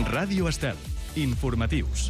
Ràdio Estel. Informatius.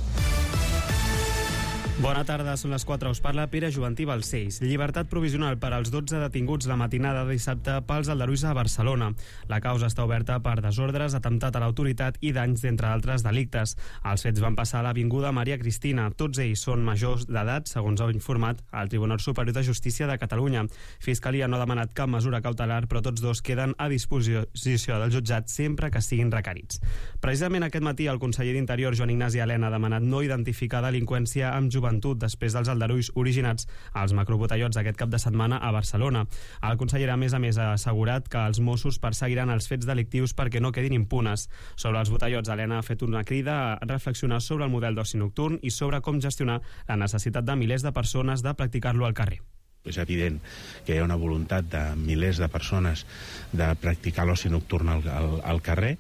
Bona tarda, són les 4. Us parla Pere Juventí Balcells. Llibertat provisional per als 12 detinguts la matinada de dissabte pels aldarulls a Barcelona. La causa està oberta per desordres, atemptat a l'autoritat i danys, d'entre altres delictes. Els fets van passar a l'avinguda Maria Cristina. Tots ells són majors d'edat, segons ha informat el Tribunal Superior de Justícia de Catalunya. Fiscalia no ha demanat cap mesura cautelar, però tots dos queden a disposició del jutjat sempre que siguin requerits. Precisament aquest matí el conseller d'Interior, Joan Ignasi Elena, ha demanat no identificar delinqüència amb joventut després dels aldarulls originats als macrobotellots aquest cap de setmana a Barcelona. El conseller, a més, ha assegurat que els Mossos perseguiran els fets delictius perquè no quedin impunes. Sobre els botellots, Elena ha fet una crida a reflexionar sobre el model d'oci nocturn i sobre com gestionar la necessitat de milers de persones de practicar-lo al carrer. És evident que hi ha una voluntat de milers de persones de practicar l'oci nocturn al carrer.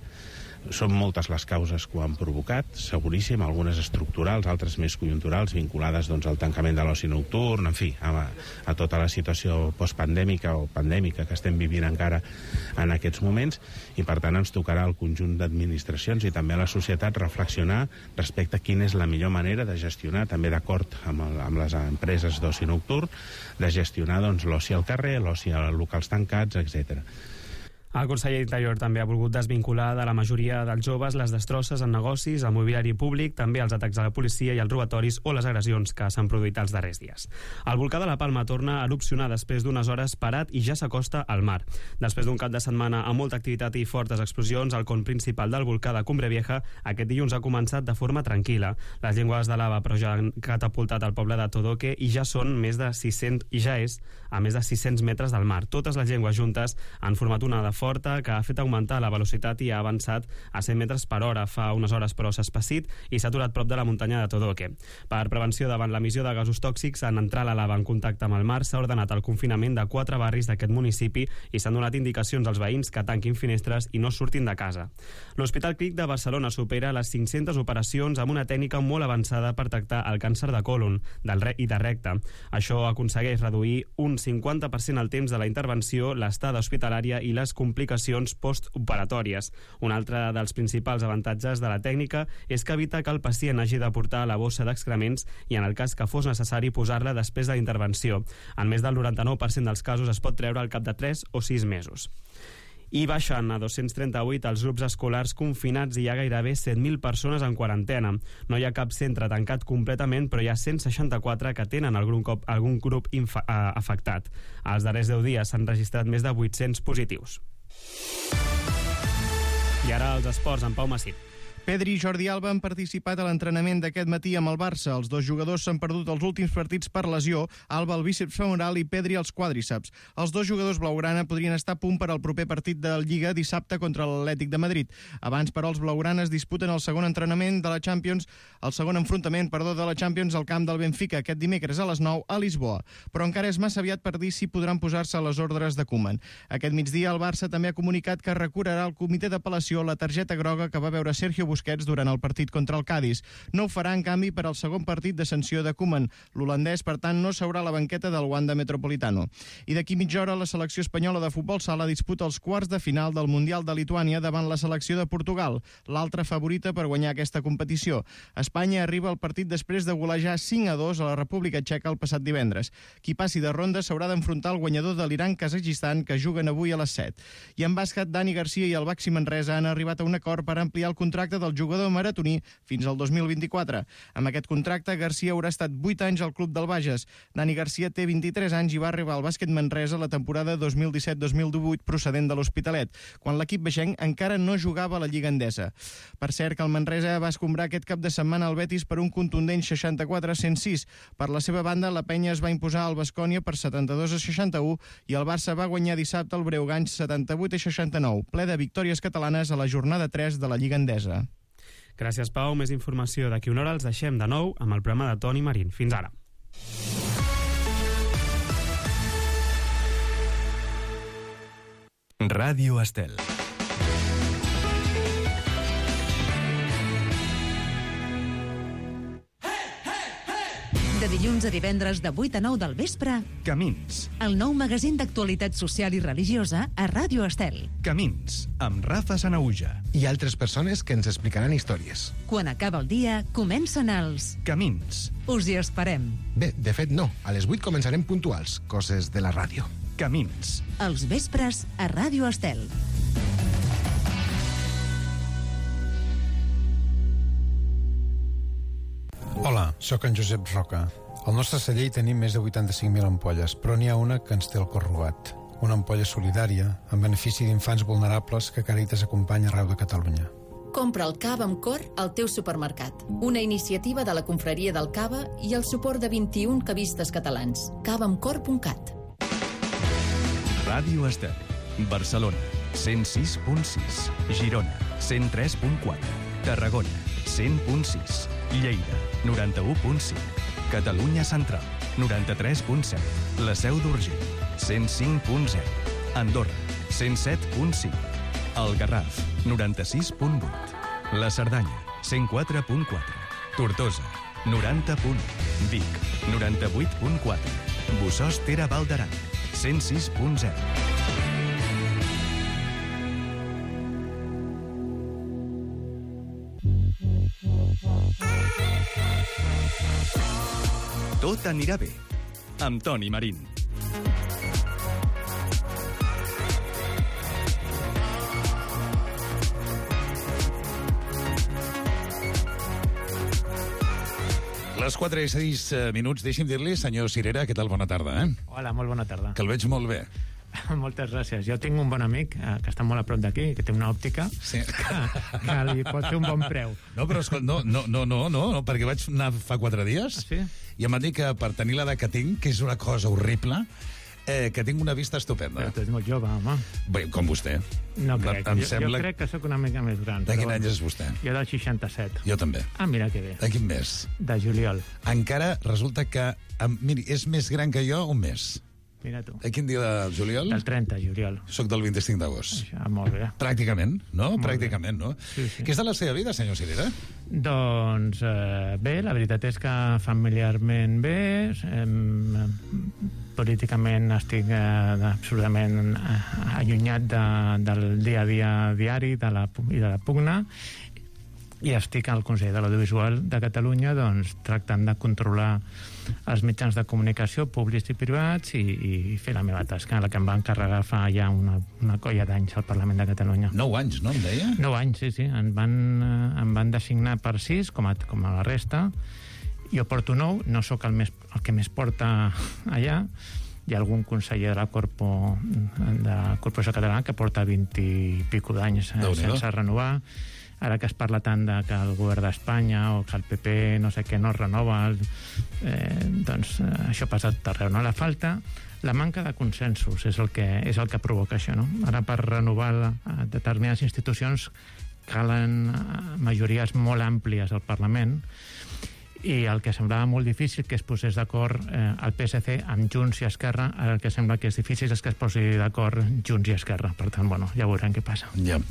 Són moltes les causes que ho han provocat, seguríssim, algunes estructurals, altres més conjunturals, vinculades al tancament de l'oci nocturn, en fi, a tota la situació postpandèmica o pandèmica que estem vivint encara en aquests moments, i per tant ens tocarà al conjunt d'administracions i també a la societat reflexionar respecte a quina és la millor manera de gestionar, també d'acord amb les empreses d'oci nocturn, de gestionar l'oci al carrer, l'oci a locals tancats, etc. El conseller d'Interior també ha volgut desvincular de la majoria dels joves les destrosses en negocis, el mobiliari públic, també els atacs a la policia i els robatoris o les agressions que s'han produït els darrers dies. El volcà de la Palma torna a erupcionar després d'unes hores parat i ja s'acosta al mar. Després d'un cap de setmana amb molta activitat i fortes explosions, el con principal del volcà de Cumbre Vieja aquest dilluns ha començat de forma tranquil·la. Les llengües de lava però ja han catapultat al poble de Todoque i ja són més de 600 i ja és a més de 600 metres del mar. Totes les llengües juntes han format una de forta que ha fet augmentar la velocitat i ha avançat a 100 metres per hora. Fa unes hores però s'ha espessit i s'ha aturat prop de la muntanya de Todoque. Per prevenció davant l'emissió de gasos tòxics en entrar la lava en contacte amb el mar s'ha ordenat el confinament de 4 barris d'aquest municipi i s'han donat indicacions als veïns que tanquin finestres i no surtin de casa. L'Hospital Clínic de Barcelona supera les 500 operacions amb una tècnica molt avançada per tractar el càncer de còlon i de recte. Això aconsegueix reduir un 50% el temps de la intervenció, l'estada hospitalària i les complicacions postoperatòries. Un altre dels principals avantatges de la tècnica és que evita que el pacient hagi de portar la bossa d'excrements i, en el cas que fos necessari, posar-la després de la intervenció. En més del 99% dels casos es pot treure al cap de 3 o 6 mesos. I baixen a 238 els grups escolars confinats i hi ha gairebé 7.000 persones en quarantena. No hi ha cap centre tancat completament, però hi ha 164 que tenen algun grup afectat. Els darrers 10 dies s'han registrat més de 800 positius. I ara els esports, amb Pau Massip. Pedri i Jordi Alba han participat a l'entrenament d'aquest matí amb el Barça. Els dos jugadors s'han perdut els últims partits per lesió, Alba el bíceps femoral i Pedri els quàdriceps. Els dos jugadors blaugrana podrien estar a punt per al proper partit de Lliga dissabte contra l'Atlètic de Madrid. Abans, però, els blaugranes disputen el segon enfrontament de la Champions al camp del Benfica aquest dimecres a les 9 a Lisboa. Però encara és massa aviat per dir si podran posar-se a les ordres de Koeman. Aquest migdia el Barça també ha comunicat que recorrerà al comitè d'apel·lació la targeta groga que va veure Sergio Busquets durant el partit contra el Cádiz. No ho farà, en canvi, per al segon partit de sanció de Koeman. L'holandès, per tant, no seurà a la banqueta del Wanda Metropolitano. I d'aquí mitja hora la selecció espanyola de futbol sala disputa els quarts de final del Mundial de Lituània davant la selecció de Portugal, l'altra favorita per guanyar aquesta competició. Espanya arriba al partit després de golejar 5-2 a la República Txeca el passat divendres. Qui passi de ronda s'haurà d'enfrontar al guanyador de l'Iran-Kazakhstan, que juguen avui a les 7. I en bàsquet, Dani Garcia i el Baxi Manresa han arribat a un acord per ampliar el contracte del jugador maratoní fins al 2024. Amb aquest contracte, Garcia haurà estat 8 anys al club del Bages. Dani Garcia té 23 anys i va arribar al bàsquet Manresa la temporada 2017-2018 procedent de l'Hospitalet, quan l'equip beixenc encara no jugava a la Lliga Endesa. Per cert, que el Manresa va escombrar aquest cap de setmana al Betis per un contundent 64-106. Per la seva banda, la penya es va imposar al Baskonia per 72-61 i el Barça va guanyar dissabte el Breogán 78-69, ple de victòries catalanes a la jornada 3 de la Lliga Endesa. Gràcies, Pau. Més informació d'aquí una hora. Els deixem de nou amb el programa de Toni Marín. Fins ara. Ràdio Estel. De dilluns dilluns a divendres de 8 a 9 del vespre, Camins. el nou magazín d'actualitat social i religiosa a Ràdio Estel. Camins, amb Rafa Sanauja. I altres persones que ens explicaran històries. Quan acaba el dia, comencen els... Camins. Us hi esperem. Bé, de fet no, a les 8 començarem puntuals, coses de la ràdio. Camins. Els vespres a Ràdio Estel. Hola, sóc en Josep Roca. Al nostre celler hi tenim més de 85.000 ampolles, però n'hi ha una que ens té el cor robat. Una ampolla solidària, en benefici d'infants vulnerables que Càritas acompanya arreu de Catalunya. Compra el cava amb cor al teu supermercat. Una iniciativa de la Confraria del Cava i el suport de 21 cavistes catalans. cavaamcor.cat. Ràdio Estel. Barcelona, 106.6. Girona, 103.4. Tarragona, 100.6. Lleida, 91.5. Catalunya Central, 93.7. La Seu d'Urgell, 105.0. Andorra, 107.5. El Garraf, 96.8. La Cerdanya, 104.4. Tortosa, 90.1. Vic, 98.4. Bossòst Tere Val d'Aran, 106.0. Tot anirà bé, amb Toni Marín. Les 4 i 6 minuts, deixi'm dir-li, senyor Cirera, què tal? Bona tarda, Hola, molt bona tarda. Que el veig molt bé. Moltes gràcies. Jo tinc un bon amic que està molt a prop d'aquí, que té una òptica, sí. que li pot fer un bon preu. No, però no, perquè vaig anar fa 4 dies sí? I em van dir que per tenir l'edat que tinc, que és una cosa horrible, que tinc una vista estupenda. Però tu ets molt jove, home. Bé, com vostè. No crec. Jo crec que sóc una mica més gran. De quin any és vostè? Jo del 67. Jo també. Ah, mira que bé. De quin mes? De juliol. Encara resulta que... Miri, és més gran que jo un mes. Mira tu. A quin dia del juliol? Del 30, juliol. Soc del 25 d'agost. Molt bé. Pràcticament, no? Molt Pràcticament, no? Sí, sí. Què és de la seva vida, senyor Cirera? Doncs bé, la veritat és que familiarment bé, políticament estic absolutament allunyat del dia a dia diari i de la pugna, i estic al Consell de l'Audiovisual de Catalunya doncs, tractant de controlar els mitjans de comunicació públics i privats i fer la meva tasca, la que em va encarregar fa ja una colla d'anys al Parlament de Catalunya. 9 anys, no em deia? 9 anys, sí. Em van designar per 6, com a la resta. Jo porto 9, no sóc el que més porta allà. Hi ha algun conseller de la Corporació Catalana que porta 20 i pico d'anys sense renovar. Ara que es parla tant de que el govern d'Espanya o que el PP no sé què no es renova, doncs això passa tot arreu, no? La manca de consensos és el que provoca això, no? Ara per renovar determinades institucions calen majories molt àmplies al Parlament, i el que semblava molt difícil que es posés d'acord el PSC amb Junts i Esquerra, ara el que sembla que és difícil és que es posi d'acord Junts i Esquerra. Per tant, bueno, ja veurem què passa. Ja.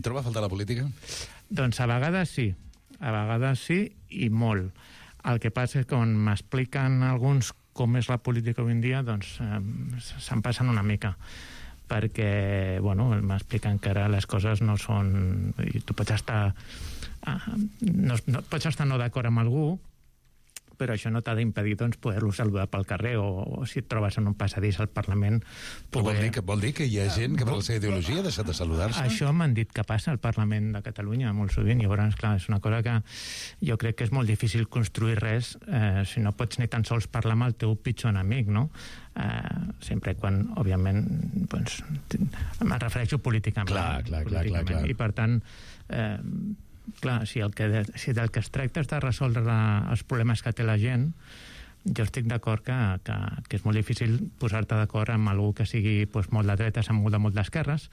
Troba a faltar la política? Doncs a vegades sí i molt. El que passa és que quan m'expliquen alguns com és la política avui en dia, doncs se'n passen una mica, perquè, bueno, m'expliquen que ara les coses no són... I tu pots estar... pots estar no d'acord amb algú, però això no t'ha d'impedir doncs, poder-lo saludar pel carrer o si et trobes en un passadís al Parlament... Vol dir que hi ha gent que per la seva ideologia ha deixat de saludar-se? Això m'han dit que passa al Parlament de Catalunya molt sovint, i llavors, clar, és una cosa que jo crec que és molt difícil construir res si no pots ni tan sols parlar amb el teu pitjor enemic, no? Sempre quan, òbviament, doncs, em refereixo políticament. Clar. I per tant... clar, si del que es tracta és de resoldre els problemes que té la gent, jo estic d'acord que és molt difícil posar-te d'acord amb algú que sigui doncs, molt de dretes amb molt d'esquerres,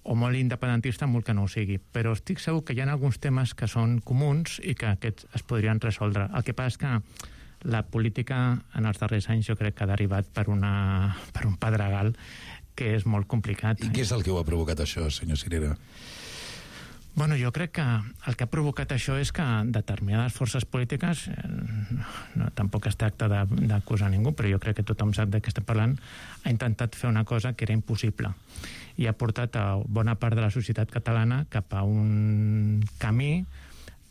o molt independentista amb molt que no ho sigui, però estic segur que hi ha alguns temes que són comuns i que aquests es podrien resoldre. El que passa és que la política en els darrers anys jo crec que ha derivat per un pedregal que és molt complicat. I què és el que ho ha provocat això, senyor Cirera? Bueno, jo crec que el que ha provocat això és que determinades forces polítiques, tampoc es tracta d'acusar ningú, però jo crec que tothom sap de què estem parlant, ha intentat fer una cosa que era impossible i ha portat a bona part de la societat catalana cap a un camí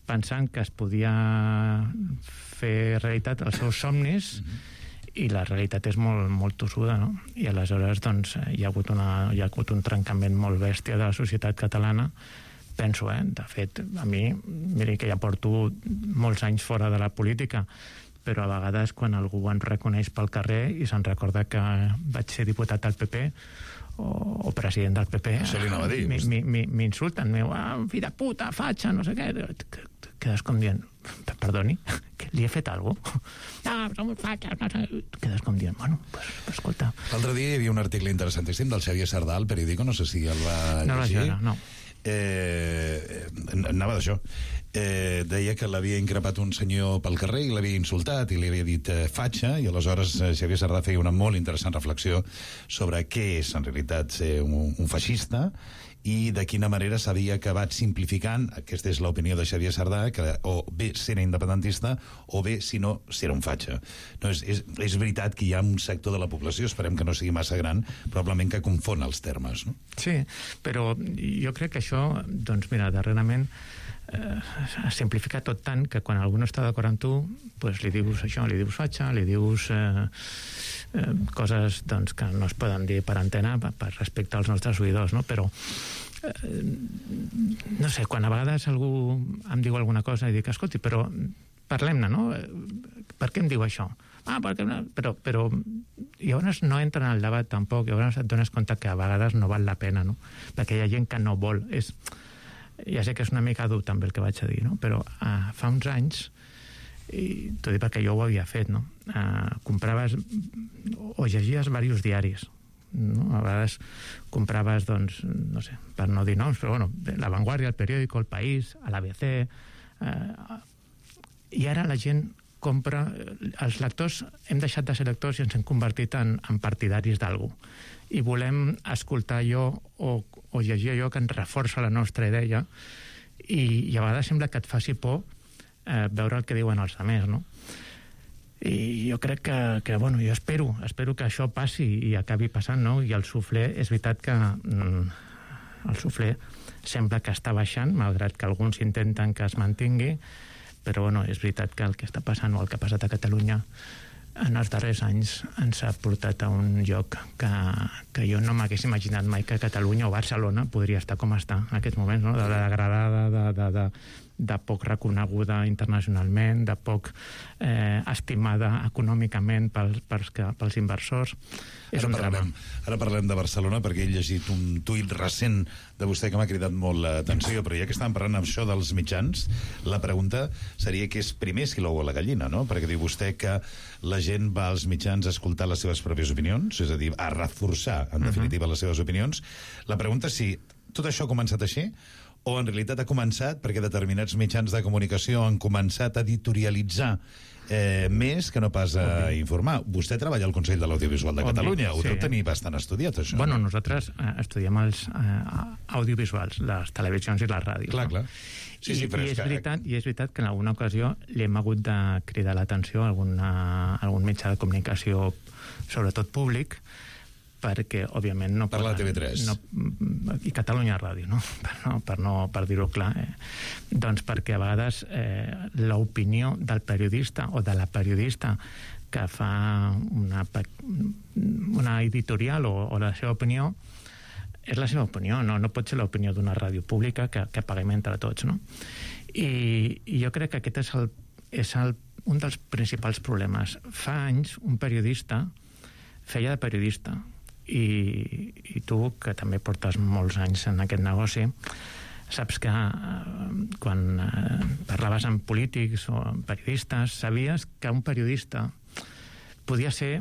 pensant que es podia fer realitat els seus somnis i la realitat és molt, molt tossuda, no? I aleshores doncs, hi ha hagut un trencament molt bèstia de la societat catalana. Penso, de fet, a mi, miri que ja porto molts anys fora de la política, però a vegades quan algú em reconeix pel carrer i se'n recorda que vaig ser diputat del PP o president del PP, això li anava a dir. M'insulten, fill de puta, fatxa, no sé què, quedes com dient, perdoni, que li he fet alguna cosa? No, som fatxes, no sé, quedes com dient, bueno, pues escolta. L'altre dia hi havia un article interessantíssim del Xavier Sardà al Periódico, no sé si el va llegir. No vaig veure, no. Anava d'això. Deia que l'havia increpat un senyor pel carrer i l'havia insultat i li havia dit fatxa, i aleshores Xavier Sardà feia una molt interessant reflexió sobre què és en realitat ser un feixista i de quina manera s'havia acabat simplificant, aquesta és l'opinió de Xavier Sardà, que o bé si era independentista o bé, si no, si era un fatxa. No, és veritat que hi ha un sector de la població, esperem que no sigui massa gran, probablement que confon els termes, no? Sí, però jo crec que això, doncs mira, darrerament es simplifica tot tant que quan algú no està d'acord amb tu, pues li dius això, li dius fatxa, li dius coses doncs, que no es poden dir per antena per respecte als nostres oïdors, no? Però no sé, quan a vegades algú em diu alguna cosa i dic, escolti, però parlem-ne, no? Per què em diu això? Perquè però llavors no entra en el debat tampoc, llavors et dones compte que a vegades no val la pena, no? Perquè hi ha gent que no vol. Ja sé que és una mica dur també el que vaig a dir, no? Però fa uns anys, i t'ho dic perquè jo ho havia fet, no? Compraves o llegies diversos diaris, no? A vegades compraves, doncs, no sé, per no dir noms, però bueno, La Vanguardia, El Periódico, El País, a l'ABC, i ara la gent compra, els lectors hem deixat de ser lectors i ens hem convertit en partidaris d'algú, i volem escoltar allò o llegir allò que ens reforça la nostra idea, i a vegades sembla que et faci por veure el que diuen els altres, no? I jo crec que bueno, jo espero que això passi i acabi passant, no? I el suflé, és veritat que el suflé sembla que està baixant, malgrat que alguns intenten que es mantingui, però bueno, és veritat que el que està passant o el que ha passat a Catalunya en els darrers anys ens ha portat a un lloc que jo no m'hagués imaginat mai que Catalunya o Barcelona podria estar com està en aquests moments, no? De degradada, de poc reconeguda internacionalment, de poc estimada econòmicament pels inversors. És un drama. Ara parlem de Barcelona perquè he llegit un tuit recent de vostè que m'ha cridat molt l'atenció, però ja que estàvem parlant amb això dels mitjans, la pregunta seria què és primer, si l'ou o la gallina, no? Perquè diu vostè que la gent va als mitjans a escoltar les seves pròpies opinions, és a dir, a reforçar, en definitiva, les seves opinions. La pregunta és si tot això ha començat així o en realitat ha començat perquè determinats mitjans de comunicació han començat a editorialitzar més que no pas a informar. Vostè treballa al Consell de l'Audiovisual de Catalunya, ho deu tenir bastant estudiat, això. Bueno, nosaltres estudiem els audiovisuals, les televisions i les ràdios. Clar. Sí, I és veritat que en alguna ocasió li hem hagut de cridar l'atenció a algun mitjà de comunicació, sobretot públic, perquè, òbviament, no... Per la TV3. I Catalunya Ràdio, no? Per dir-ho clar. Doncs perquè a vegades l'opinió del periodista o de la periodista que fa una editorial o la seva opinió és la seva opinió, no pot ser l'opinió d'una ràdio pública que paguem entre tots, no? I jo crec que aquest és un dels principals problemes. Fa anys un periodista feia de periodista, i tu, que també portes molts anys en aquest negoci, saps que quan parlaves amb polítics o amb periodistes, sabies que un periodista podia ser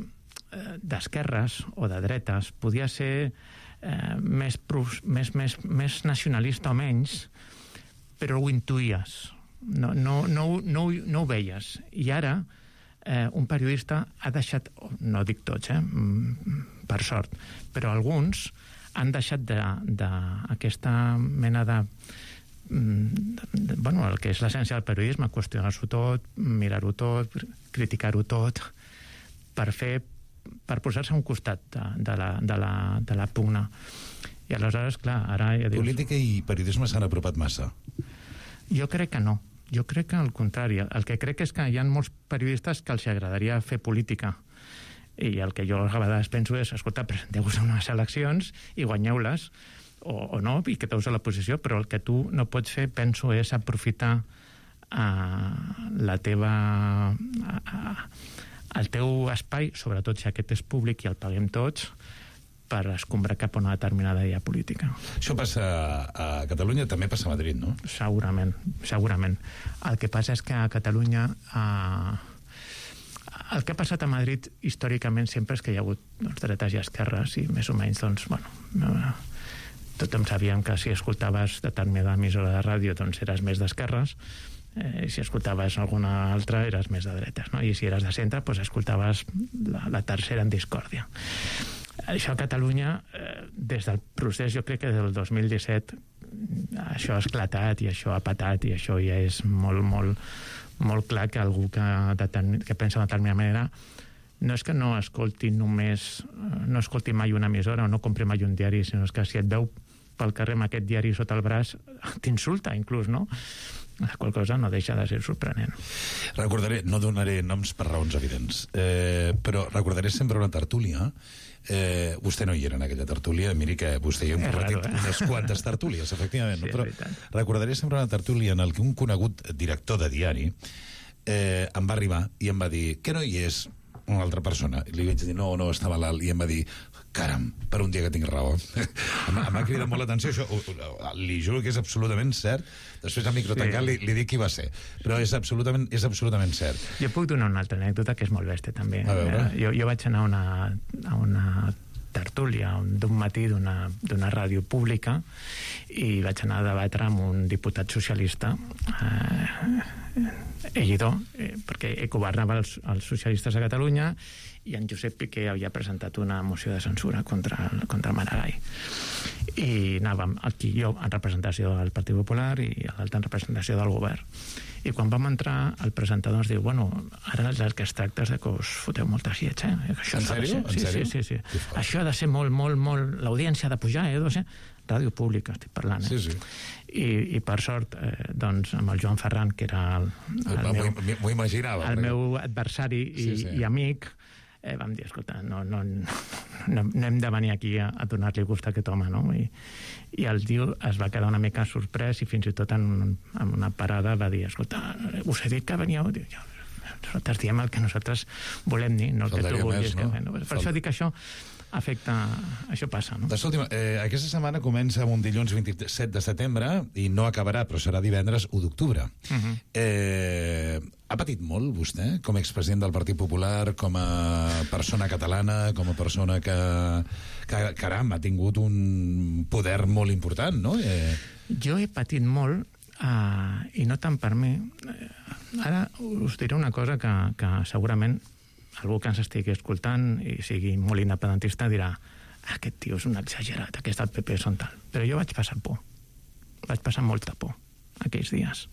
d'esquerres o de dretes, podia ser més nacionalista o menys, però ho intuïes, no ho veies. I ara un periodista ha deixat, no dic tots, per sort, però alguns han deixat d'aquesta mena de el que és l'essència del periodisme, qüestionar-s'ho tot, mirar-ho tot, criticar-ho tot, per posar-se a un costat de la pugna. I aleshores, clar, ara... Ja dius, política i periodisme s'han apropat massa. Jo crec que no. Jo crec que al contrari. El que crec és que hi ha molts periodistes que els agradaria fer política. I el que jo a vegades penso és, escolta, presenteu-vos a unes eleccions i guanyeu-les, o no, i quedeu-vos a la posició, però el que tu no pots fer, penso, és aprofitar el teu espai, sobretot si aquest és públic i el paguem tots, per escombrar cap a una determinada idea política. Això passa a Catalunya, també passa a Madrid, no? Segurament. El que passa és que a Catalunya... El que ha passat a Madrid històricament sempre és que hi ha hagut dretes i esquerres i més o menys, doncs, tothom sabíem que si escoltaves determinada emissora de ràdio doncs eres més d'esquerres, si escoltaves alguna altra eres més de dretes, no? I si eres de centre doncs escoltaves la tercera en discòrdia. Això a Catalunya, des del procés, jo crec que del 2017, això ha esclatat i això ha patat i això ja és molt clar que algú que pensa de determinada manera no és que no escolti mai una emissora o no compri mai un diari, sinó que si et veu pel carrer amb aquest diari sota el braç t'insulta inclús, no? La qual cosa no deixa de ser sorprenent. No donaré noms per raons evidents, però recordaré sempre una tertúlia. Vostè no hi era en aquella tertúlia, miri que vostè hi ha compartit unes quantes tertúlies, efectivament, sí, però recordaré sempre una tertúlia en què un conegut director de diari em va arribar i em va dir que no hi és una altra persona, i li vaig dir no, estava l'alt, i em va dir caram, per un dia que tinc raó. M'ha cridat molt l'atenció, això li juro que és absolutament cert. Després al micro tancat li dic qui va ser, però és absolutament cert. Jo puc donar una altra anècdota que és molt bèstia també. Jo vaig anar a una tertúlia d'un matí d'una ràdio pública i vaig anar a debatre amb un diputat socialista Ellidor, perquè governava els socialistes a Catalunya, i en Josep Piqué havia presentat una moció de censura contra Maragall. I anàvem aquí jo en representació del Partit Popular i l'altra en representació del govern. I quan vam entrar, el presentador ens diu ara el que es tracta és que us foteu moltes llets, En sèrio? Sí. Això ha de ser molt, l'audiència ha de pujar, ràdio pública estic parlant, I per sort, doncs, amb el Joan Ferran, que era el meu adversari i amic, vam dir, escolta, no hem de venir aquí a donar-li gust a aquest home, no? I el tio es va quedar una mica sorprès i fins i tot en una parada va dir, escolta, us he dit que veníeu? Nosaltres diem el que nosaltres volem dir, no el que tu vulguis. Per això dic que això afecta, això passa, no? Escolti'm, aquesta setmana comença un dilluns 27 de setembre i no acabarà, però serà divendres 1 d'octubre. Ha patit molt, vostè, com a expresident del Partit Popular, com a persona catalana, com a persona que caram, ha tingut un poder molt important, no? Jo he patit molt, i no tant per mi. Ara us diré una cosa que segurament algú que ens estigui escoltant i sigui molt independentista dirà aquest tio és un exagerat, aquest del PP són tal. Però jo vaig passar por. Vaig passar molta por aquells dies.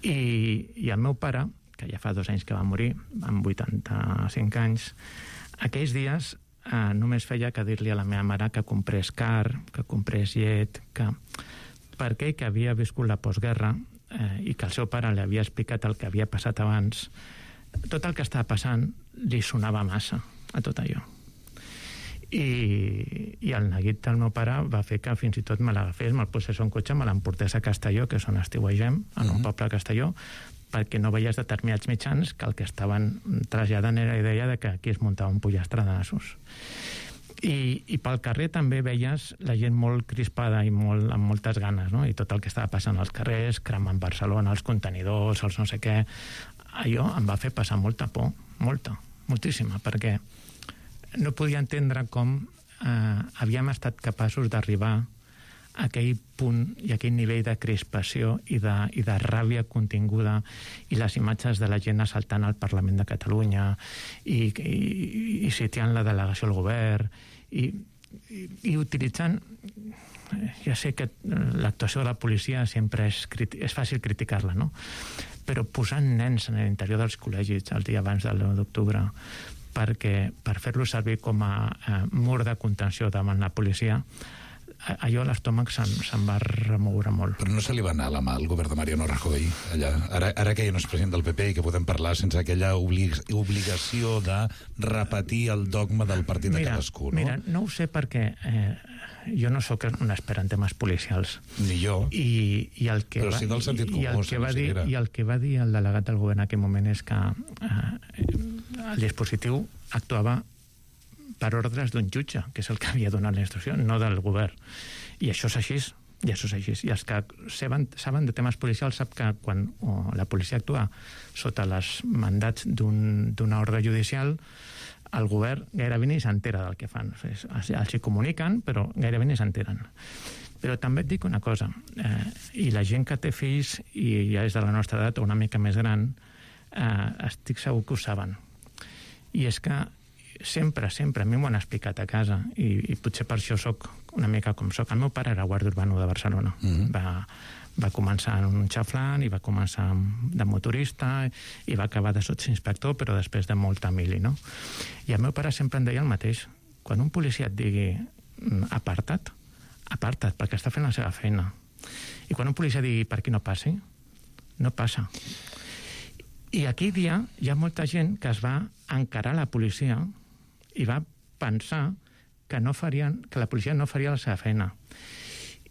I el meu pare, que ja fa 2 anys que va morir, amb 85 anys, aquells dies només feia que dir-li a la meva mare que comprés car, que comprés llet, perquè ell que havia viscut la postguerra i que el seu pare li havia explicat el que havia passat abans, tot el que estava passant li sonava massa a tot allò. I el neguit del meu pare va fer que fins i tot me l'agafés, me'l posés en cotxe, me l'emportés a Castelló, que és on estiuegem, en un poble a Castelló, perquè no veies determinats mitjans que el que estaven traslladant era la idea de que aquí es muntava un pollastre de nassos. I pel carrer també veies la gent molt crispada i amb moltes ganes, no? I tot el que estava passant als carrers, cremant Barcelona, els contenidors, els no sé què, allò em va fer passar molta por, moltíssima, perquè no podia entendre com havíem estat capaços d'arribar a aquell punt i aquell nivell de crispació i de ràbia continguda i les imatges de la gent assaltant al Parlament de Catalunya i sitiant la delegació al govern i i utilitzant... Ja sé que l'actuació de la policia sempre és fàcil criticar-la, no? Però posant nens en l'interior dels col·legis el dia abans del 9 d'octubre per fer-lo servir com a mur de contenció davant la policia, allò a l'estómac se'n va remoure molt. Però no se li va anar la mà al govern de Mariano Rajoy allà? Ara que ja no és president del PP i que podem parlar sense aquella obligació de repetir el dogma del partit de cadascú, no? Mira, no ho sé perquè jo no sóc un expert en temes policials. Ni jo. Però sí del sentit comú, I el que va dir el delegat del govern en aquell moment és que el dispositiu actuava per ordres d'un jutge, que és el que havia donat la instrucció, no del govern. I això és així. I els que saben de temes policials sap que quan la policia actua sota els mandats d'una ordre judicial, el govern gairebé ni s'entera del que fan. Els hi comuniquen, però gairebé ni s'enteren. Però també et dic una cosa, i la gent que té fills i ja és de la nostra edat o una mica més gran, estic segur que ho saben. I és que sempre, a mi m'ho han explicat a casa, i potser per això soc una mica com soc. El meu pare era guàrdia urbano de Barcelona. Va començar en un xaflant i va començar de motorista i va acabar de sotsinspector, però després de molta mili, no? I el meu pare sempre em deia el mateix. Quan un policia et digui aparta't, perquè està fent la seva feina. I quan un policia digui per aquí no passi, no passa. I aquell dia hi ha molta gent que es va encarar a la policia i va pensar que la policia no faria la seva feina.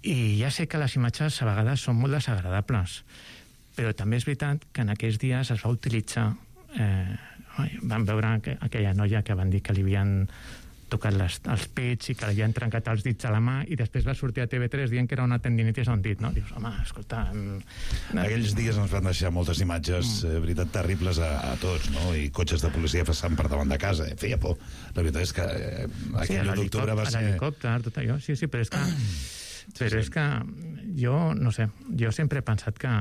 I ja sé que les imatges a vegades són molt desagradables, però també és veritat que en aquells dies es va utilitzar... Vam veure aquella noia que van dir que li havien tocat els pits i que li havien trencat els dits a la mà, i després va sortir a TV3 dient que era una tendinitis a un dit, no? Dius, home, escolta... Aquells dies ens van deixar moltes imatges, veritat, terribles a tots, no? I cotxes de policia passant per davant de casa, feia por. La veritat és que aquell 1 d'octubre va ser... L'helicòpter, tot allò, sí, però és que... Però és que jo, no sé, jo sempre he pensat que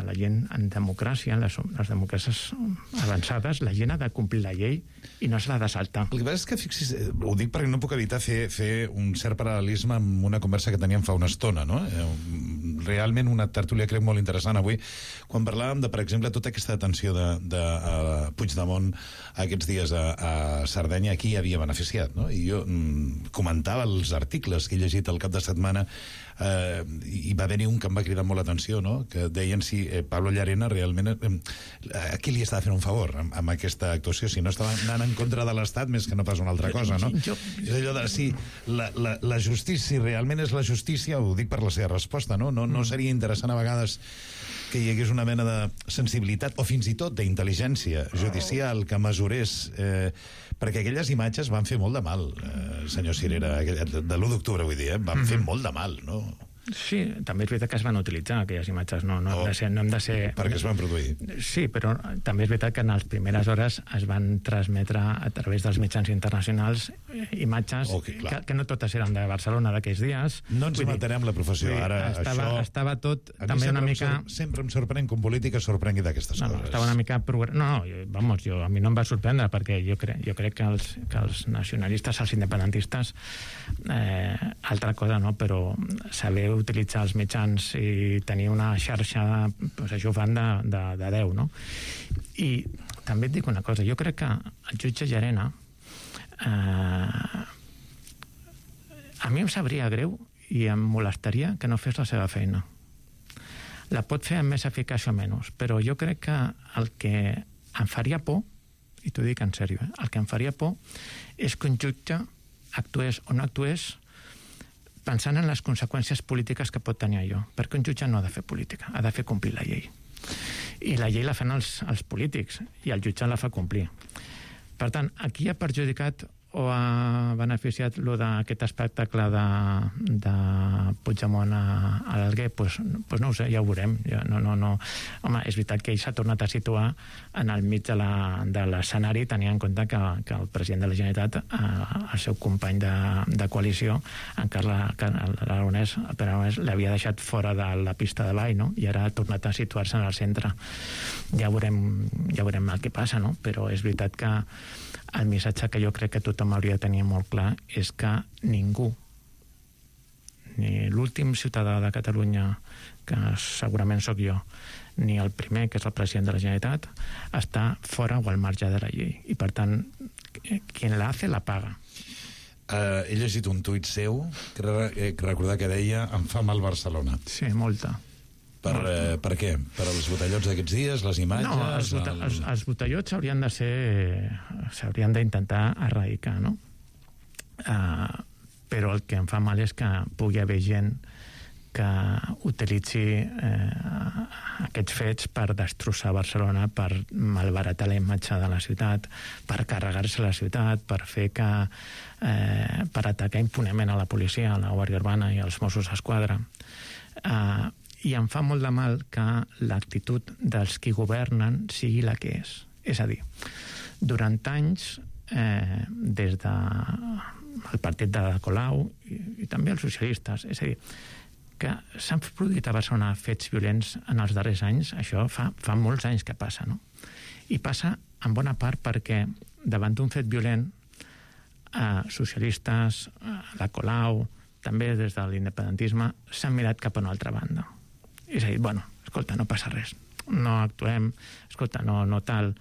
la gent en democràcia, en les democràcies avançades, la gent ha de complir la llei i no se l'ha de saltar. El que passa és que, fixis, ho dic perquè no puc evitar fer un cert paral·lelisme amb una conversa que teníem fa una estona, no? Realment una tertúlia crec molt interessant avui, quan parlàvem de, per exemple, tota aquesta detenció de Puigdemont aquests dies a Sardenya, qui havia beneficiat, no? I jo comentava els articles que he llegit al cap de setmana, i va haver-hi un que em va cridar molt l'atenció, no? Que deien si Pablo Llarena realment a qui li estava fent un favor amb aquesta actuació, si no estava anant en contra de l'Estat més que no pas una altra cosa, no? És allò de si la justícia, si realment és la justícia, ho dic per la seva resposta, no? No seria interessant a vegades que hi hagués una mena de sensibilitat o fins i tot d'intel·ligència judicial que mesurés, perquè aquelles imatges van fer molt de mal, senyor Cirera, de l'1 d'octubre, vull dir, van fer molt de mal, no? Sí, també és veritat que es van utilitzar aquelles imatges, no hem de ser... Perquè es van produir. Sí, però també és veritat que en les primeres hores es van transmetre a través dels mitjans internacionals imatges que no totes eren de Barcelona d'aquells dies. No ens matarem la professió, ara estava tot també una mica... Sempre em sorprèn que un polític es sorprengui d'aquestes coses. Estava una mica... a mi no em va sorprendre, perquè jo crec que els nacionalistes, els independentistes, altra cosa, no? Però saber utilitzar els mitjans i tenir una xarxa, doncs això ho fan de 10, no? I també et dic una cosa, jo crec que el jutge Llarena a mi em sabria greu i em molestaria que no fes la seva feina. La pot fer amb més eficàcia o menys, però jo crec que el que em faria por, i t'ho dic en sèrio, el que em faria por és que un jutge actués o no actués pensant en les conseqüències polítiques que pot tenir allò, perquè un jutge no ha de fer política, ha de fer complir la llei. I la llei la fan els polítics, i el jutge la fa complir. Per tant, aquí ha perjudicat o ha beneficiat d'aquest espectacle de Puigdemont a l'Alguer? Pues no ho sé, ja ho veurem. Home, és veritat que ell s'ha tornat a situar en el mig de l'escenari, tenint en compte que el president de la Generalitat, el seu company de coalició, en Carles Aragonès, l'havia deixat fora de la pista de ball, no? I ara ha tornat a situar-se en el centre. Ja veurem el que passa, no? Però és veritat que El missatge que jo crec que tothom hauria de tenir molt clar és que ningú, ni l'últim ciutadà de Catalunya, que segurament sóc jo, ni el primer, que és el president de la Generalitat, està fora o al marge de la llei. I, per tant, quien la hace, la paga. He llegit un tuit seu, recordar que deia em fa mal Barcelona. Sí, molta. Per què? Per als botellots d'aquests dies, les imatges? No, els botellots s'haurien d'intentar erradicar, no? Però el que em fa mal és que pugui haver gent que utilitzi aquests fets per destrossar Barcelona, per malbaratar la imatge de la ciutat, per carregar-se la ciutat, per fer que per atacar impunement a la policia, a la Guàrdia Urbana i als Mossos d'Esquadra. I em fa molt de mal que l'actitud dels qui governen sigui la que és. És a dir, durant anys, des del partit de Colau i també els socialistes, és a dir, que s'han produït a Barcelona fets violents en els darrers anys, això fa molts anys que passa, no? I passa en bona part perquè davant d'un fet violent socialistes, la Colau, també des de l'independentisme, s'han mirat cap a una altra banda. És a dir, bueno, escolta, no passa res, no actuem, escolta, no tal.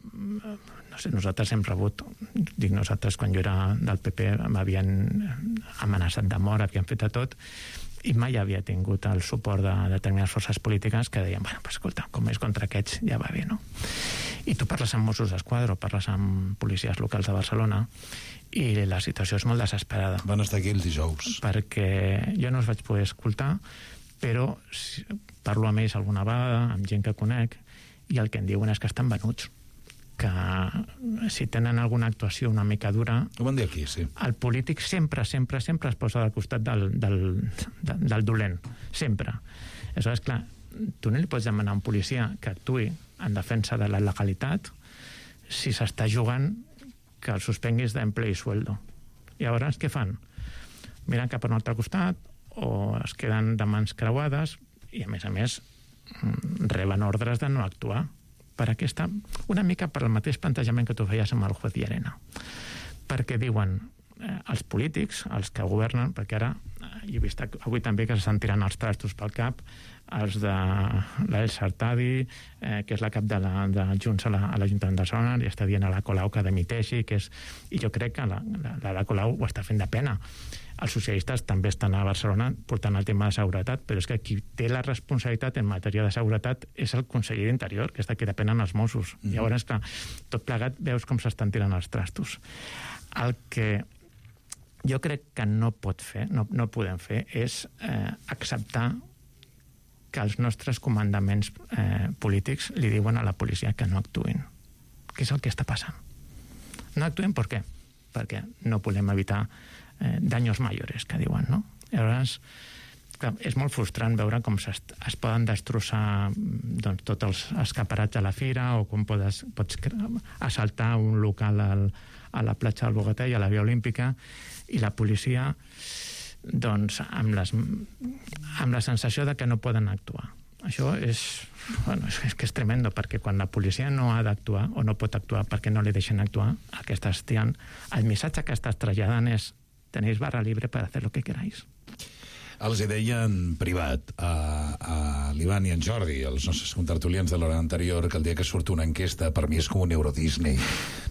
No sé, nosaltres hem rebut, dic nosaltres, quan jo era del PP m'havien amenaçat de mort, havien fet de tot, i mai havia tingut el suport de determinades forces polítiques que deien, bueno, pues escolta, com és contra aquests ja va bé, no? I tu parles amb Mossos d'Esquadra o parles amb policies locals de Barcelona i la situació és molt desesperada. Van estar aquí els dijous. Perquè jo no els vaig poder escoltar, però parlo amb ells alguna vegada, amb gent que conec, i el que em diuen és que estan venuts, que si tenen alguna actuació una mica dura, ho van dir aquí, sí, el polític sempre es posa al costat del dolent, sempre. Aleshores, clar, tu no li pots demanar a un policia que actuï en defensa de la legalitat si s'està jugant que el suspenguis d'emple i sueldo. I llavors què fan? Miren cap a un altre costat o es queden de mans creuades i, a més, reben ordres de no actuar per aquesta, una mica per el mateix plantejament que tu feies amb el juez Llarena. Perquè diuen els polítics, els que governen, perquè ara he vist avui també que s'estan tirant els trastos pel cap, els de l'Elsa Artadi, que és la cap de Junts a l'Ajuntament de Barcelona, li està dient a la Colau que dimiteixi, i jo crec que la Colau ho està fent de pena. Els socialistes també estan a Barcelona portant el tema de seguretat, però és que qui té la responsabilitat en matèria de seguretat és el conseller d'Interior, que és de qui depenen els Mossos. Llavors, clar, tot plegat veus com s'estan tirant els trastos. El que jo crec que no podem fer és acceptar que els nostres comandaments polítics li diuen a la policia que no actuïn. Què és el que està passant? No actuïn per què? Perquè no podem evitar daños mayores, que diuen, no? Llavors, clar, és molt frustrant veure com es poden destrossar tots els escaparats a la fira o com pots assaltar un local a la platja del Bogatell, a la Via Olímpica, i la policia amb la sensació de que no poden actuar. Això és tremendo, perquè quan la policia no ha d'actuar o no pot actuar perquè no li deixen actuar, el missatge que estàs traslladant és: tenéis barra libre para hacer lo que queráis. Els hi deia en privat a l'Ivan i en Jordi, els nostres contertulians de l'hora anterior, que el dia que surt una enquesta per mi és com un Euro Disney.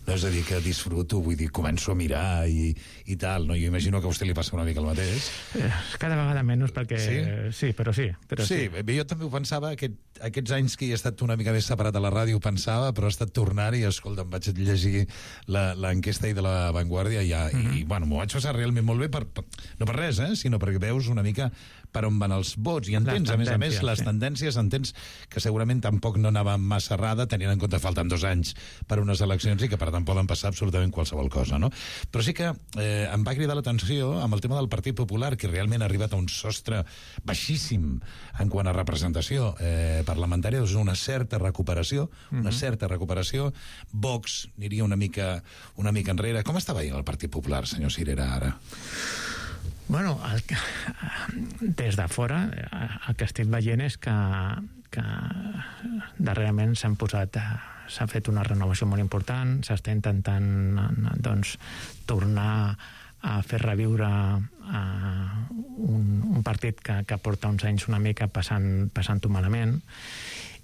No és a dir que disfruto, vull dir, començo a mirar i tal, no? Jo imagino que a vostè li passa una mica el mateix. Cada vegada menys, perquè... Sí, però sí. Jo també ho pensava, aquests anys que he estat una mica més separat a la ràdio ho pensava, però he estat tornant i, escolta, em vaig llegir l'enquesta de la Vanguardia i bueno, m'ho vaig passar realment molt bé, no per res, sinó perquè veus una mica per on van els vots, i entens, a més, les tendències, entens que segurament tampoc no anava massa errada, tenint en compte que falten 2 anys per unes eleccions i que per tant poden passar absolutament qualsevol cosa, no? Però sí que em va cridar l'atenció amb el tema del Partit Popular, que realment ha arribat a un sostre baixíssim en quant a representació parlamentària, és una certa recuperació, Vox aniria una mica enrere. Com està veient el Partit Popular, senyor Cirera, ara? Bueno, des de fora el que estic veient és que darrerament s'ha fet una renovació molt important, s'està intentant doncs, tornar a fer reviure un partit que porta uns anys una mica passant-ho malament,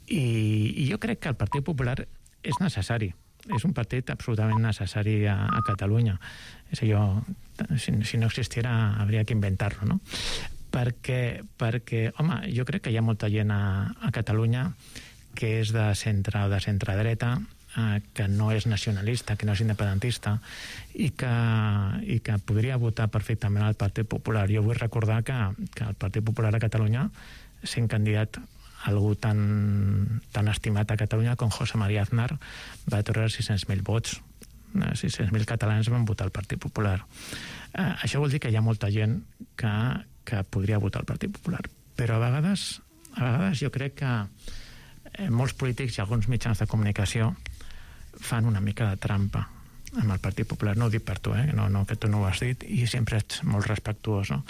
i jo crec que el Partit Popular és necessari, és un partit absolutament necessari a Catalunya. És allò, si no existiera hauria que inventar-lo, no? Perquè, home, jo crec que hi ha molta gent a Catalunya que és de centre o de centre-dreta, que no és nacionalista, que no és independentista, i que podria votar perfectament al Partit Popular. Jo vull recordar que el Partit Popular a Catalunya, sent candidat algú tan estimat a Catalunya com José María Aznar, va treure 600.000 vots. 600.000 catalans van votar el Partit Popular. Això vol dir que hi ha molta gent que podria votar el Partit Popular. Però a vegades jo crec que molts polítics i alguns mitjans de comunicació fan una mica de trampa amb el Partit Popular. No ho dic per tu, que tu no ho has dit, i sempre ets molt respectuós, no?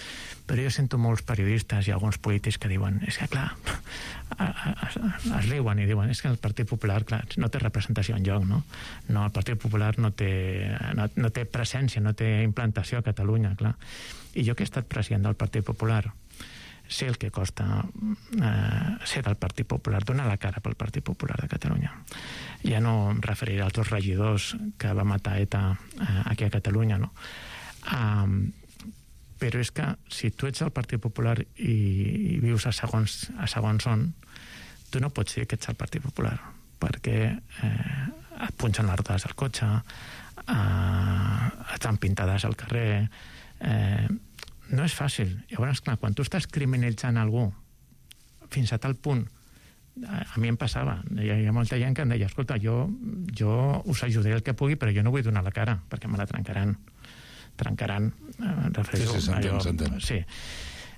Però jo sento molts periodistes i alguns polítics que diuen, és que clar, es riuen i diuen, és que el Partit Popular, clar, no té representació enlloc, no? No, el Partit Popular no té presència, no té implantació a Catalunya, clar. I jo que he estat president del Partit Popular, sé el que costa ser del Partit Popular, donar la cara pel Partit Popular de Catalunya. Ja no em referiré als dos regidors que va matar ETA aquí a Catalunya, no? Però és que si tu ets del Partit Popular i vius a segons on, tu no pots dir que ets el Partit Popular, perquè et punxen les rodes al cotxe, et fan pintades al carrer, no és fàcil. Llavors, clar, quan tu estàs criminalitzant algú fins a tal punt, a mi em passava, hi ha molta gent que em deia, escolta, jo us ajudaré el que pugui, però jo no vull donar la cara, perquè me la trencaran, s'entén. Sí.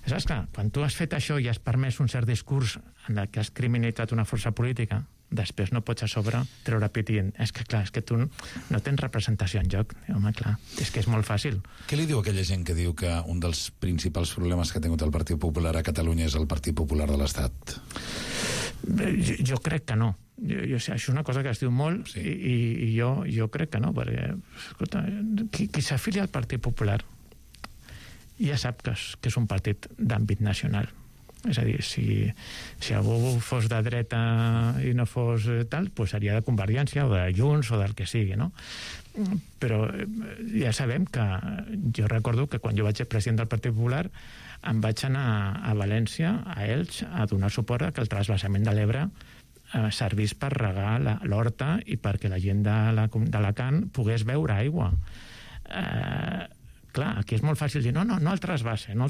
Saps, clar, quan tu has fet això i has permès un cert discurs en el que has criminalitzat una força política, després no pots a sobre treure pit dient, és que tu no tens representació en joc. Home, clar, és que és molt fàcil. Què li diu aquella gent que diu que un dels principals problemes que ha tingut el Partit Popular a Catalunya és el Partit Popular de l'Estat? Jo crec que no. Això és una cosa que es diu molt, sí. i jo crec que no, perquè escolta, qui s'afilia al Partit Popular ja sap que és un partit d'àmbit nacional. És a dir, si algú fos de dreta i no fos tal, doncs seria de Convergència o de Junts o del que sigui, no? Però ja sabem que jo recordo que quan jo vaig ser president del Partit Popular em vaig anar a València, a Elx, a donar suport a que el transvasament de l'Ebre servís per regar l'horta i perquè la gent d'Alacant pogués beure aigua. Clar, aquí és molt fàcil dir, no el transvasament, no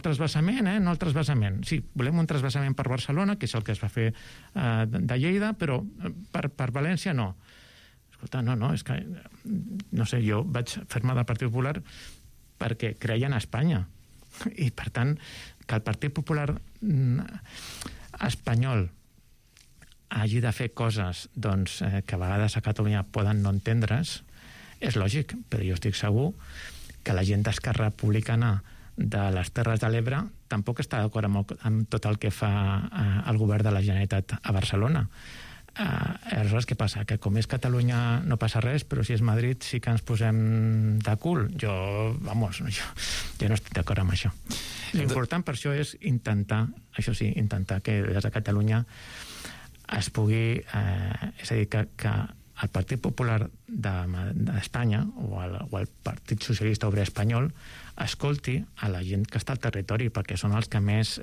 el transvasament. Sí, volem un transvasament per Barcelona, que és el que es va fer de Lleida, però per València no. Escolta, no, és que, no sé, jo vaig fer-me del Partit Popular perquè creia en Espanya. I, per tant, que el Partit Popular espanyol hagi de fer coses doncs, que a vegades a Catalunya poden no entendre's, és lògic, però jo estic segur que la gent d'Esquerra Republicana de les Terres de l'Ebre tampoc està d'acord amb tot el que fa el govern de la Generalitat a Barcelona. Aleshores, què passa? Que com és Catalunya no passa res, però si és Madrid sí que ens posem de cul. Jo no estic d'acord amb això. L'important per això és intentar que des de Catalunya es pugui... és a dir, que el Partit Popular d'Espanya o el Partit Socialista Obrer Espanyol escolti a la gent que està al territori, perquè són els que més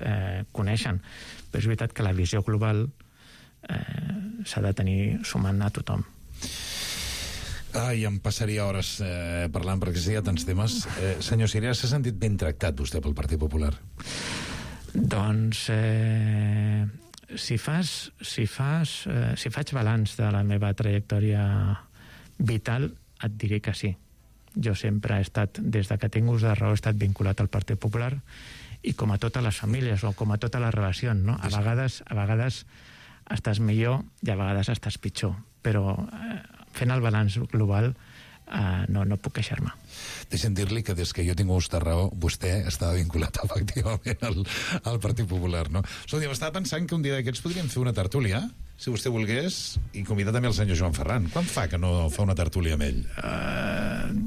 coneixen. Però és veritat que la visió global s'ha de tenir sumant a tothom. Em passaria hores parlant, perquè hi ha tants temes. Senyor Sirera, s'ha sentit ben tractat vostè pel Partit Popular? Doncs... Si faig balanç de la meva trajectòria vital, et diré que sí. Jo sempre he estat, des que tinc ús de raó, he estat vinculat al Partit Popular, i com a totes les famílies o com a totes les relacions, no? A vegades estàs millor i a vegades estàs pitjor, però fent el balanç global no puc queixar-me. Deixem dir-li que des que jo tinc vostra raó, vostè estava vinculat efectivament al Partit Popular, no? Escolta, m'estava pensant que un dia d'aquests podríem fer una tertúlia, si vostè volgués, i convidar també el senyor Joan Ferran. Quan fa que no fa una tertúlia amb ell?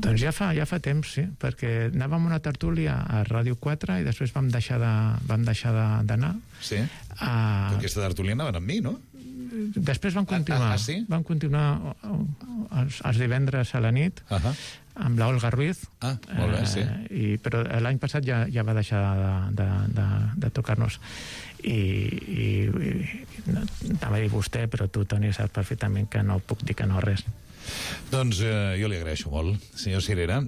Doncs ja fa temps, sí, perquè anàvem a una tertúlia a Ràdio 4 i després vam deixar d'anar. Sí? Però aquesta tertúlia anaven amb mi, no? Després van continuar. Sí? Van continuar els divendres a la nit amb la Olga Ruiz. Molt bé, sí. Però l'any passat ja va deixar de tocar-nos. I anava a dir vostè, però tu, Toni, saps perfectament que no puc dir que no res. Doncs jo li agraeixo molt, senyor Cirera.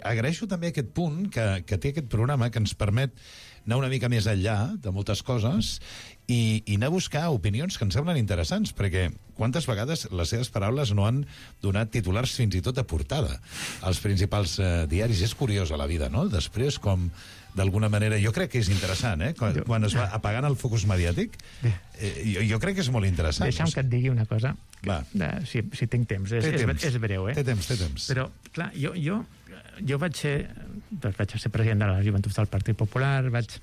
Agraeixo també aquest punt que té aquest programa que ens permet anar una mica més enllà de moltes coses i anar a buscar opinions que ens semblen interessants, perquè quantes vegades les seves paraules no han donat titulars fins i tot a portada als principals diaris. És curiós a la vida, no? Després, com d'alguna manera, jo crec que és interessant, quan es va apagant el focus mediàtic, jo crec que és molt interessant. Deixa'm que et digui una cosa, si tinc temps. És breu, Té temps. Però, clar, jo vaig ser president de la Joventut del Partit Popular, vaig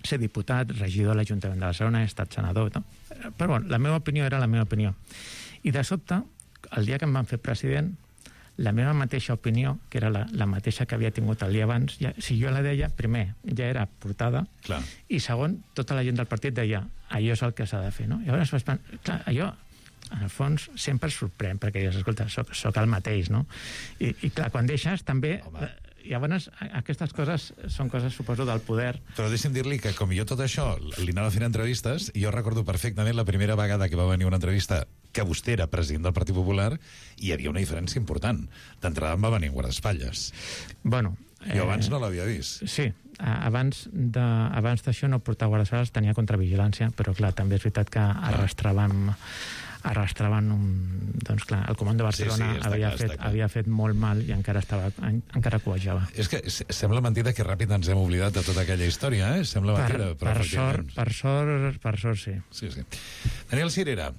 ser diputat, regidor de l'Ajuntament de Barcelona, he estat senador, no? Però bueno, la meva opinió era la meva opinió. I de sobte, el dia que em van fer president, la meva mateixa opinió, que era la mateixa que havia tingut el dia abans, si jo la deia, primer, ja era portada, clar. I segon, tota la gent del partit deia, allò és el que s'ha de fer, no? I llavors vaig pensar, clar, allò, en el fons, sempre es sorprèn, perquè dius, escolta, soc el mateix, no? I clar, quan deixes, també... I llavors, aquestes coses són coses, suposo, del poder. Però deixa'm dir-li que, com jo tot això li anava fent entrevistes, jo recordo perfectament la primera vegada que va venir una entrevista que vostè era president del Partit Popular i hi havia una diferència important. D'entrada em va venir en guardaespatlles. Bueno... Jo abans no l'havia vist. Sí, abans d'això no portava guardaespatlles, tenia contravigilància, però clar, també és veritat que arrastraven doncs clar, el Comando de Barcelona havia fet molt mal i encara coejava. És que sembla mentida que ràpid ens hem oblidat de tota aquella història, Sembla mentida, però per sort sí. Sí. Daniel Cirera,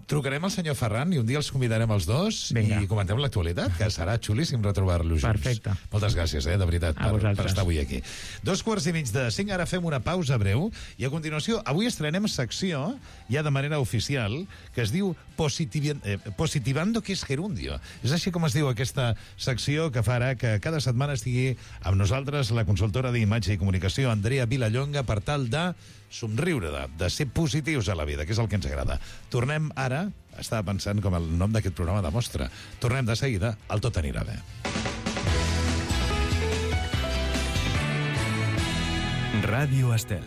trucarem al senyor Ferran i un dia els convidarem els dos. Vinga. I comentem l'actualitat, que serà xulíssim retrobar-los junts. Perfecte. Moltes gràcies, de veritat, per estar avui aquí. 2:45, ara fem una pausa breu i a continuació, avui estrenem secció ja de manera oficial que es diu Positivando que es gerundio. És així com es diu aquesta secció que farà que cada setmana estigui amb nosaltres la consultora d'imatge i comunicació Andrea Vilallonga per tal de somriure, de ser positius a la vida, que és el que ens agrada. Tornem ara, estava pensant com el nom d'aquest programa demostra, tornem de seguida, el Tot anirà bé. Ràdio Estel.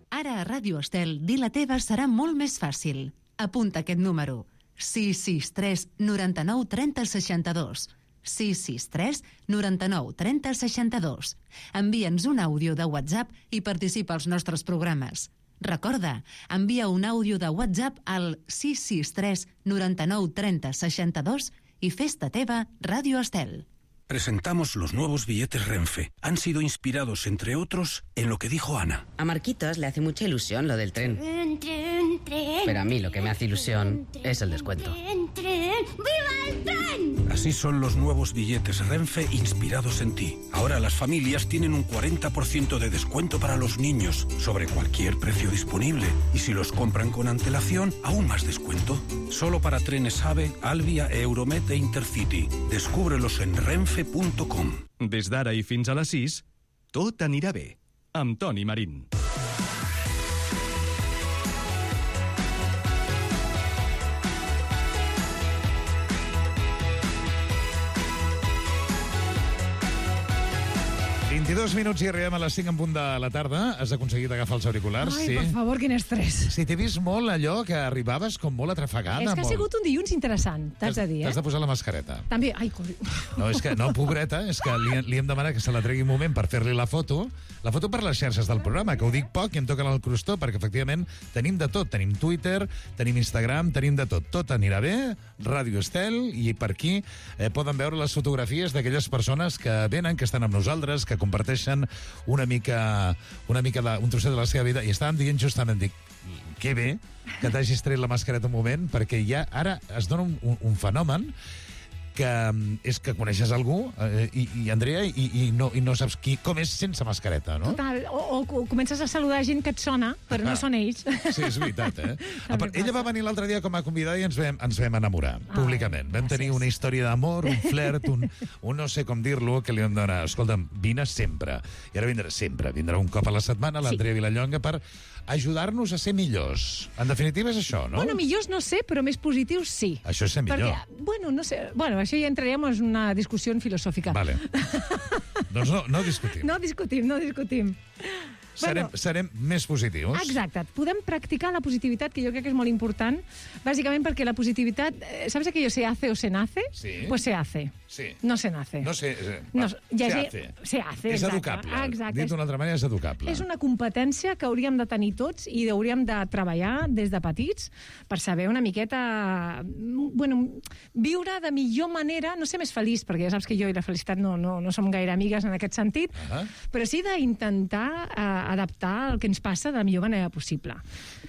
Ara a Ràdio Estel, dir la teva serà molt més fàcil. Apunta aquest número. 663 99 30 62. 663 99 30 62. Envia'ns un àudio de WhatsApp i participa als nostres programes. Recorda, envia un àudio de WhatsApp al 663 99 30 62 i fes-te teva Ràdio Estel. Presentamos los nuevos billetes Renfe. Han sido inspirados, entre otros, en lo que dijo Ana. A Marquitos le hace mucha ilusión lo del tren. Tren. Pero a mí lo que me hace ilusión es el descuento. ¡Viva el tren! Así son los nuevos billetes Renfe inspirados en ti. Ahora las familias tienen un 40% de descuento para los niños sobre cualquier precio disponible. Y si los compran con antelación, aún más descuento. Solo para trenes AVE, Alvia, Euromed e Intercity. Descúbrelos en renfe.com. Des d'ara i fins a les 6, tot anirà bé, amb Toni Marín. En 22 minuts i arribem a les 5 en punt de la tarda. Has aconseguit agafar els auriculars? Ai, por favor, quin estrès. Sí, t'he vist molt allò que arribaves com molt atrafegada. És que ha sigut un dilluns interessant, t'has de dir, T'has de posar la mascareta. També, ai, No, és que, no, pobreta, és que li hem demanat que se la tregui un moment per fer-li la foto per les xarxes del programa, que ho dic poc i em toquen el crostó, perquè efectivament tenim de tot. Tenim Twitter, tenim Instagram, tenim de tot. Tot anirà bé, Ràdio Estel, i per aquí poden veure les fotografies d'aquelles persones que venen, que estan amb nosaltres, que comparteixen una mica un trosset de la seva vida, i estàvem dient justament, dic, que bé que t'hagis tret la mascareta un moment, perquè ja ara es dona un fenomen és que coneixes algú, i Andrea, i no saps com és sense mascareta, no? Total, o comences a saludar gent que et sona, però no són ells. Sí, és veritat, Ella va venir l'altre dia com a convidada i ens vam enamorar, públicament. Vam tenir una història d'amor, un flirt, un no sé com dir-lo, que li vam donar, escolta'm, vine sempre. I ara vindrà sempre, vindrà un cop a la setmana l'Andrea Vilallonga per ajudar-nos a ser millors. En definitiva és això, no? Bueno, millors no sé, però més positius sí. Això és ser millor. Perquè, no sé, això ja entraríem en una discussió filosòfica. Vale. Doncs no discutim. No discutim. Serem més positius. Exacte. Podem practicar la positivitat, que jo crec que és molt important, bàsicament perquè la positivitat... ¿Sabes aquello se hace o se nace? Sí. Pues se hace. Sí. No se nace. Se hace. És educable. Exacte. Dit d'una altra manera, és educable. És una competència que hauríem de tenir tots i hauríem de treballar des de petits per saber una miqueta... viure de millor manera, no ser més feliç, perquè ja saps que jo i la felicitat no som gaire amigues en aquest sentit, però sí d'intentar adaptar el que ens passa de la millor manera possible.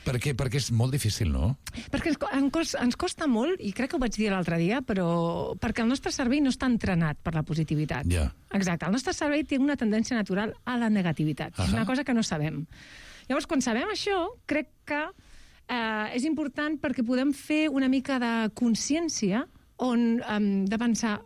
Perquè és molt difícil, no? Perquè ens costa molt, i crec que ho vaig dir l'altre dia, però perquè el nostre cervell no està entrenat per la positivitat. Ja. Exacte. El nostre cervell té una tendència natural a la negativitat. És una cosa que no sabem. Llavors, quan sabem això, crec que és important perquè podem fer una mica de consciència de pensar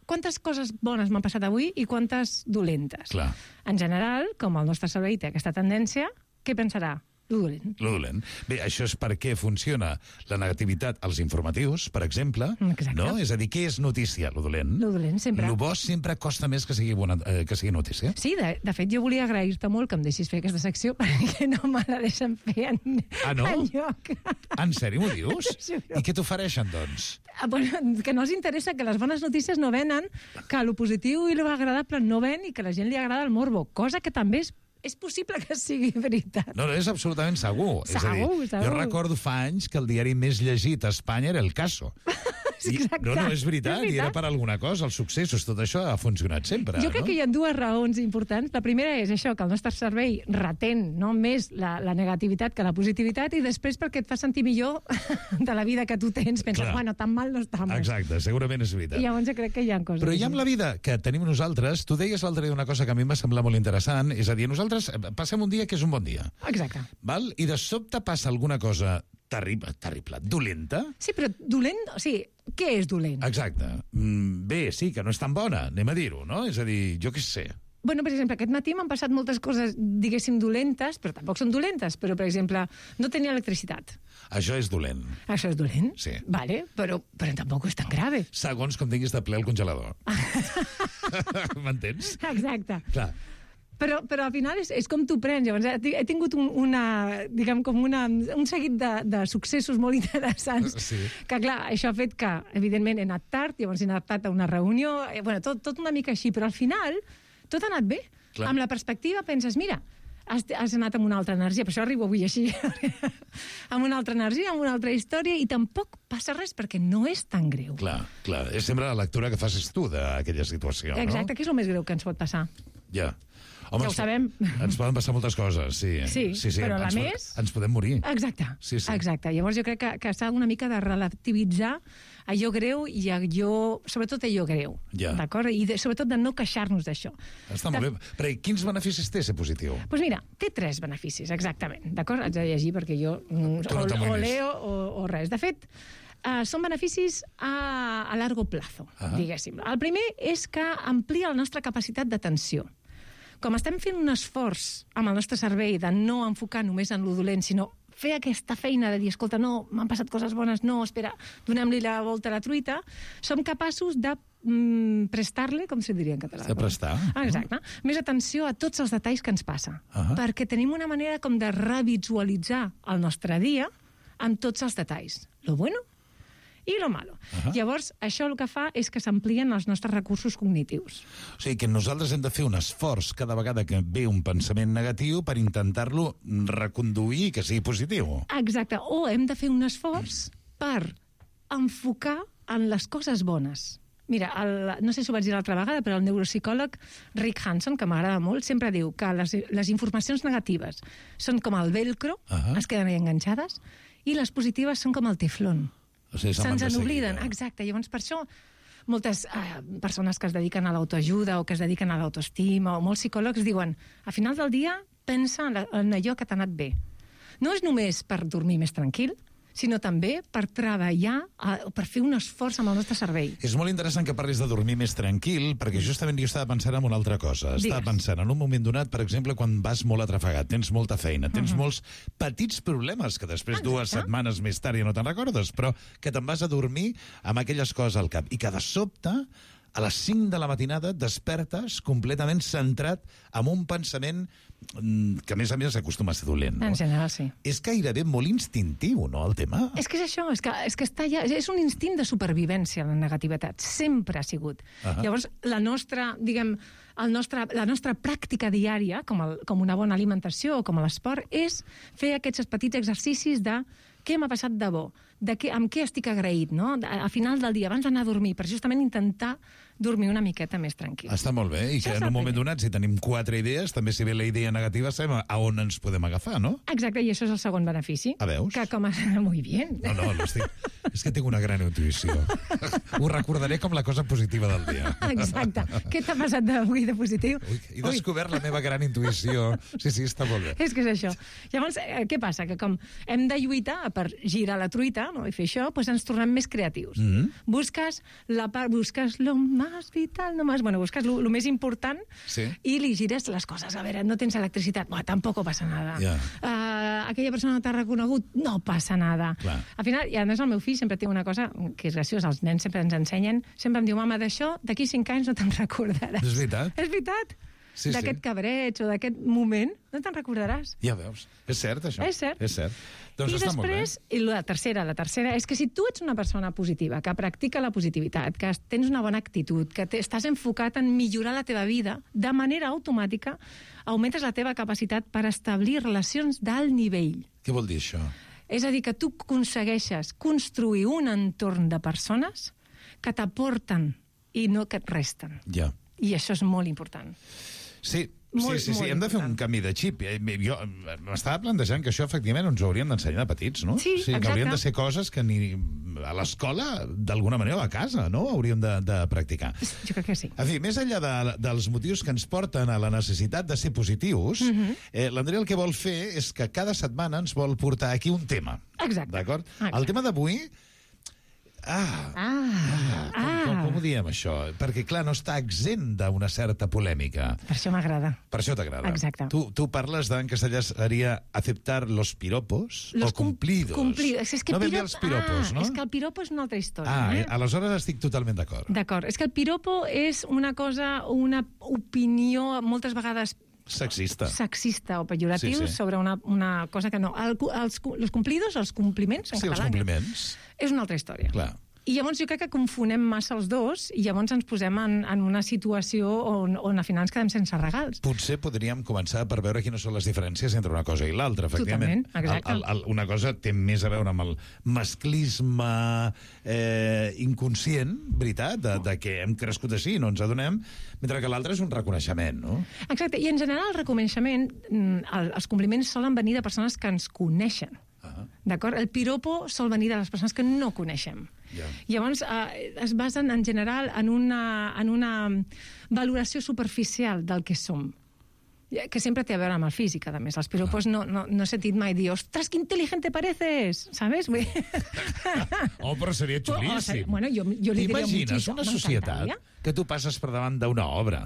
quantes coses bones m'han passat avui i quantes dolentes. Clar. En general, com el nostre cervell té aquesta tendència, què pensarà? Lo dolent. Bé, això és perquè funciona la negativitat als informatius, per exemple. Exacte. No? És a dir, què és notícia? Lo dolent. Lo dolent, sempre. Lo bo sempre costa més que sigui notícia. Sí, de fet, jo volia agrair-te molt que em deixis fer aquesta secció perquè no me la deixen fer enlloc. En sèrio m'ho dius? I què t'ofereixen, doncs? Que no els interessa, que les bones notícies no venen, que lo positiu i lo agradable no ven i que a la gent li agrada el morbo, cosa que també és possible que sigui veritat. No, és absolutament segur. És a dir, jo recordo fa anys que el diari més llegit a Espanya era El Caso. No, és veritat, i era per alguna cosa, els successos, tot això ha funcionat sempre. Jo crec que hi ha dues raons importants. La primera és això, que el nostre cervell retén més la negativitat que la positivitat, i després perquè et fa sentir millor de la vida que tu tens. Penses, bueno, tan mal no estamos. Exacte, segurament és veritat. I llavors jo crec que hi ha coses. Però hi ha amb la vida que tenim nosaltres, tu deies l'altre dia una cosa que a mi em va semblar molt interessant, és a dir, nosaltres passem un dia que és un bon dia. Exacte. Val? I de sobte passa alguna cosa terrible, dolenta. Sí, però dolent, o sigui, què és dolent? Exacte. Bé, sí, que no és tan bona, anem a dir-ho, no? És a dir, jo què sé. Bueno, per exemple, aquest matí m'han passat moltes coses, diguéssim, dolentes, però tampoc són dolentes, però, per exemple, no tenia electricitat. Això és dolent. Això és dolent? Sí. Vale, però tampoc és tan grave. Segons com tinguis de ple el congelador. M'entens? Exacte. Clar. Però al final és com tu prens. Llavors, he tingut un seguit de successos molt interessants. Sí. Que, clar, això ha fet que, evidentment, he anat tard, llavors he anat tard a una reunió, tot una mica així, però al final tot ha anat bé. Clar. Amb la perspectiva penses, mira, has anat amb una altra energia, per això arribo avui així, amb una altra energia, amb una altra història, i tampoc passa res perquè no és tan greu. Clar. És sempre la lectura que facis tu d'aquella situació, no? Exacte, que és el més greu que ens pot passar. Ja. Home, ja ho sabem. Ens poden passar moltes coses, sí. Sí, però la més... Ens podem morir. Exacte. Sí. Exacte. Llavors jo crec que s'ha una mica de relativitzar allò greu i sobretot allò greu. Ja. D'acord? I sobretot de no queixar-nos d'això. Està molt bé. Però quins beneficis té ser positiu? Doncs mira, té 3 beneficis, exactament. D'acord? Haig de llegir perquè jo o leo o res. De fet, són beneficis a largo plazo, diguéssim. El primer és que amplia la nostra capacitat d'atenció. Com estem fent un esforç amb el nostre cervell de no enfocar només en lo dolent, sinó fer aquesta feina de dir, escolta, no, m'han passat coses bones, no, espera, donem-li la volta a la truita, som capaços de prestar-li, com se diria en català? De prestar. Exacte. Més atenció a tots els detalls que ens passa. Perquè tenim una manera com de revisualitzar el nostre dia amb tots els detalls. Lo bueno i lo malo. Llavors, això el que fa és que s'amplien els nostres recursos cognitius. O sigui, que nosaltres hem de fer un esforç cada vegada que ve un pensament negatiu per intentar-lo reconduir i que sigui positiu. Exacte. O hem de fer un esforç per enfocar en les coses bones. Mira, no sé si ho vaig dir l'altra vegada, però el neuropsicòleg Rick Hanson, que m'agrada molt, sempre diu que les informacions negatives són com el velcro, es queden enganxades, i les positives són com el teflón. O sigui, se'ns n'obliden, exacte. Llavors, per això, moltes persones que es dediquen a l'autoajuda o que es dediquen a l'autoestima o molts psicòlegs diuen, a final del dia pensa en allò que t'ha anat bé. No és només per dormir més tranquil, sinó també per treballar, per fer un esforç amb el nostre cervell. És molt interessant que parlis de dormir més tranquil, perquè justament jo estava pensant en una altra cosa. Estava pensant en un moment donat, per exemple, quan vas molt atrafegat, tens molta feina, tens molts petits problemes que després 2 setmanes més tard ja no te'n recordes, però que te'n vas a dormir amb aquelles coses al cap i que de sobte a les 5 de la matinada et despertes completament centrat en un pensament que, a més acostuma a ser dolent. No? En general, sí. És gairebé molt instintiu, no, el tema? És que és això, és que està ja, és un instint de supervivència, la negativitat. Sempre ha sigut. Llavors, la nostra, diguem, la nostra pràctica diària, com una bona alimentació o com l'esport, és fer aquests petits exercicis de què m'ha passat de bo, amb què estic agraït, no? A final del dia, abans d'anar a dormir, per justament intentar dormir una miqueta més tranquil. Està molt bé, i que en un moment donat, si tenim 4 idees, també si ve la idea negativa, sabem a on ens podem agafar, no? Exacte, i això és el segon benefici. A veus? Que com a... Muy bien. No, és que tinc una gran intuïció. Ho recordaré com la cosa positiva del dia. Exacte. Què t'ha passat d'avui de positiu? He descobert la meva gran intuïció. Sí, està molt bé. És que és això. Llavors, què passa? Que com hem de lluitar per girar la truita, no? I fer això, doncs ens tornem més creatius. Busques lo más vital, busques lo més important i li gires les coses. A veure, no tens electricitat? Tampoc passa nada. Aquella persona no t'ha reconegut? No passa nada. Al final, i a més el meu fill sempre té una cosa que és graciosa, els nens sempre ens ensenyen, sempre em diu, mama, d'això d'aquí 5 anys no te'n recordaràs. És veritat? És veritat. D'aquest cabreig o d'aquest moment no te'n recordaràs. Ja veus. És cert, això. És cert. És cert. Doncs I després, i la tercera és que si tu ets una persona positiva, que practica la positivitat, que tens una bona actitud, que estàs enfocat en millorar la teva vida, de manera automàtica augmentes la teva capacitat per establir relacions d'alt nivell. Què vol dir això? És a dir, que tu aconsegueixes construir un entorn de persones que t'aporten i no que et resten. Ja. I això és molt important. Sí, hem de fer un canvi de xip. Jo m'estava plantejant que això efectivament ens ho hauríem d'ensenyar de petits, no? Sí, exacte. Que haurien de ser coses que ni a l'escola, d'alguna manera, o a casa, no? Hauríem de practicar. Jo crec que sí. En fi, més enllà dels motius que ens porten a la necessitat de ser positius, l'Andrea el que vol fer és que cada setmana ens vol portar aquí un tema. Exacte. D'acord? El tema d'avui... Com ho diem, això? Perquè, clar, no està exempt d'una certa polèmica. Per això m'agrada. Per això t'agrada. Exacte. Tu parles en castellà seria aceptar los piropos o cumplidos. No ben bé els piropos, no? És que el piropo és una altra història. Aleshores estic totalment d'acord. D'acord. És que el piropo és una cosa, una opinió, moltes vegades sexista o pejoratiu sobre una cosa que no. Els cumplidos, els compliments en català, els compliments. És una altra història. Clar. I llavors jo crec que confonem massa els dos i llavors ens posem en una situació on al final ens quedem sense regals. Potser podríem començar per veure quines són les diferències entre una cosa i l'altra, efectivament. Totalment, exacte. Una cosa té més a veure amb el masclisme inconscient, veritat, de que hem crescut així i no ens adonem, mentre que l'altre és un reconeixement, no? Exacte, i en general el reconeixement, els compliments solen venir de persones que ens coneixen. D'acord? El piropo sol venir de les persones que no coneixem. Llavors, es basen en general en una valoració superficial del que som, que sempre té a veure amb el físic, a més. Els piropos no he sentit mai dir, ostres, que intel·ligente pareces, ¿sabes? Però seria xulíssim. Bueno, jo li diria t'imagines una societat que tu passes per davant d'una obra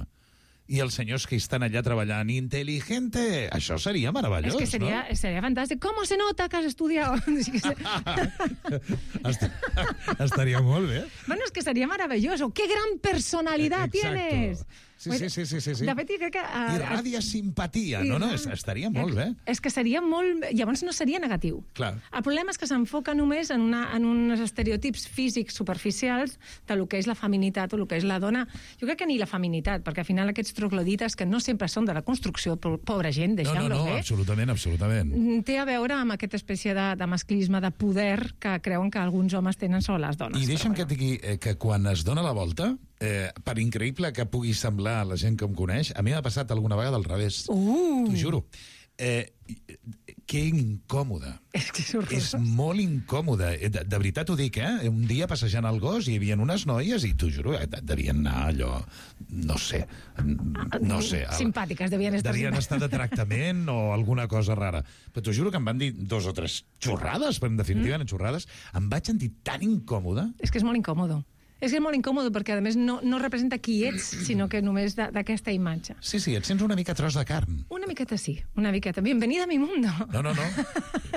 i els senyors que estan allà treballant intel·ligente, això seria meravellós, no? És que seria fantàstic. ¿Cómo se nota que has estudiado? Estaria molt bé. Bueno, és que seria maravilloso. ¡Qué gran personalidad tienes! Sí. De fet, crec que... Irradia simpatia, no? Estaria molt bé. És que seria molt... Llavors no seria negatiu. Clar. El problema és que s'enfoca només en uns estereotips físics superficials del que és la feminitat o el que és la dona. Jo crec que ni la feminitat, perquè al final aquests troglodites, que no sempre són de la construcció, pobra gent, deixem-lo bé. No, absolutament. Té a veure amb aquesta espècie de masclisme, de poder, que creuen que alguns homes tenen sobre les dones. I deixa'm que et digui que quan es dona la volta, per increïble que pugui semblar a la gent que em coneix, a mi m'ha passat alguna vegada al revés. T'ho juro. Que incòmode. És molt incòmode. De veritat ho dic, Un dia passejant el gos hi havia unes noies i t'ho juro, devien anar allò, no sé. Simpàtiques, devien estar de tractament o alguna cosa rara. Però t'ho juro que em van dir 2 o 3 xorrades, però en definitiva eren xorrades. Em vaig sentir tan incòmode. És que és molt incòmode. És que és molt incòmode perquè, a més, no representa qui ets, sinó que només d'aquesta imatge. Sí, et sents una mica tros de carn. Una miqueta sí, una miqueta. Bienvenida a mi mundo. No.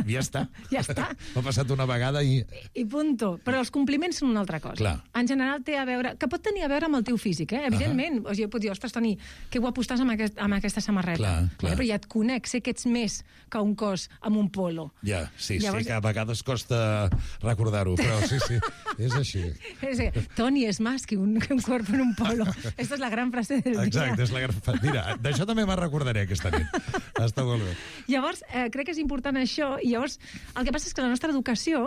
Ja està. Ja està. M'ha passat una vegada i... I punto. Però els compliments són una altra cosa. Clar. En general té a veure... Que pot tenir a veure amb el teu físic, evidentment. O sigui, pot dir, ostres, Toni, que guapo estàs amb aquesta samarreta. Clar. Però ja et conec, sé que ets més que un cos amb un polo. Ja, sí, llavors... sé que a vegades costa recordar-ho, però sí, és així. Toni és més que un cuerpo en un polo. Esta és la gran frase del dia. Exacte, és la gran frase. Mira, d'això també me'n recordaré aquesta nit. Està molt bé. Llavors, crec que és important això, i llavors el que passa és que la nostra educació,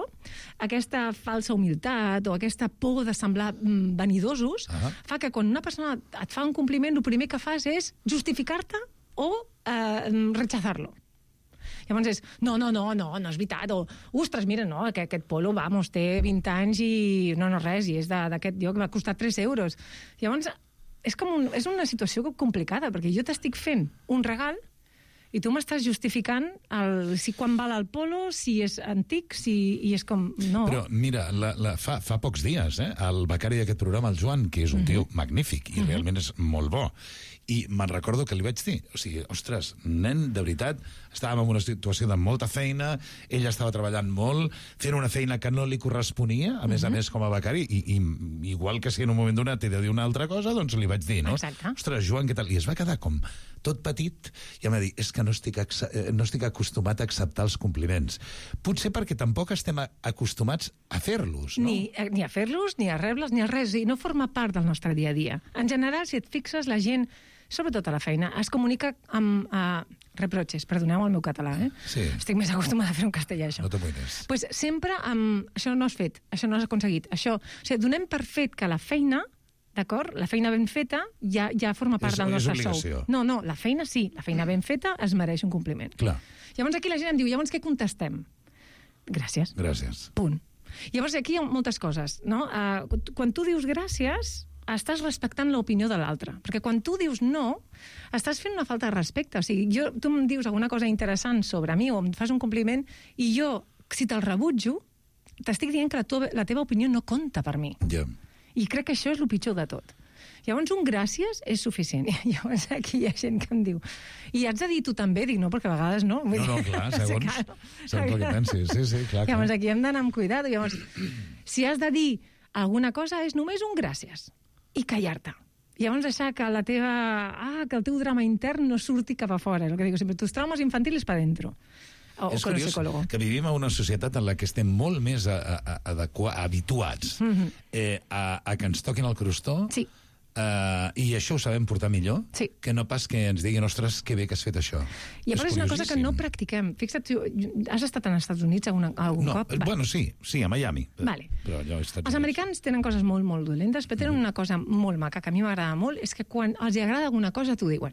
aquesta falsa humilitat o aquesta por de semblar vanidosos, fa que quan una persona et fa un compliment, el primer que fas és justificar-te o rechazar-lo. Llavors és, no és veritat, o, ostres, mira, no, aquest polo, vamos, té 20 anys i no res, i és d'aquest lloc, va costar 3 euros. Llavors, és una situació complicada, perquè jo t'estic fent un regal i tu m'estàs justificant si quan val el polo, si és antic, i és com... No. Però, mira, fa pocs dies, el becari d'aquest programa, el Joan, que és un tio magnífic i realment és molt bo, i me'n recordo que li vaig dir, o sigui, ostres, nen, de veritat, estàvem en una situació de molta feina, ell estava treballant molt, fent una feina que no li corresponia, a més com a becari, i igual que si en un moment donat t'he de dir una altra cosa, doncs li vaig dir, no? Exacte. Ostres, Joan, què tal? I es va quedar com tot petit, i em va dir, és que no estic acostumat a acceptar els compliments. Potser perquè tampoc estem acostumats a fer-los, no? Ni a fer-los, ni a rebre'ls, ni a res, i no forma part del nostre dia a dia. En general, si et fixes, la gent, sobretot a la feina, es comunica amb reproches, perdoneu el meu català, Sí. Estic més acostumada a fer un castellà, això. No t'amoïnes. Pues sempre amb això no has fet, això no has aconseguit, això... O sigui, donem per fet que la feina, d'acord? La feina ben feta ja forma part del nostre sou. No, la feina sí, la feina ben feta es mereix un compliment. Clar. Llavors aquí la gent em diu, llavors què contestem? Gràcies. Gràcies. Punt. Llavors aquí hi ha moltes coses, no? Quan tu dius gràcies, estàs respectant l'opinió de l'altre. Perquè quan tu dius no, estàs fent una falta de respecte. O sigui, tu em dius alguna cosa interessant sobre mi o em fas un compliment i jo, si te'l rebutjo, t'estic dient que la teva opinió no compta per mi. Ja. I crec que això és el pitjor de tot. Llavors, un gràcies és suficient. Llavors, aquí hi ha gent que em diu i has de dir tu també? Dic, no, perquè a vegades no. No, clar, segons el que pensis. Sí, clar. Llavors, aquí hem d'anar amb cuidado. Llavors, si has de dir alguna cosa, és només un gràcies. I callar-te. Llavors deixar que que el teu drama intern no surti cap a fora. El que dic sempre, tus traumas infantiles para dentro. És curiós que vivim en una societat en la que estem molt més habituats a que ens toquin el crostó. Sí. I això ho sabem portar millor que no pas que ens diguin, ostres, que bé que has fet això. I a part és una cosa que no practiquem. Fixa't, has estat als Estats Units algun cop? Bueno, sí, a Miami. Vale. Però allò els americans tenen coses molt, molt dolentes, però tenen una cosa molt maca, que a mi m'agrada molt, és que quan els agrada alguna cosa t'ho diuen.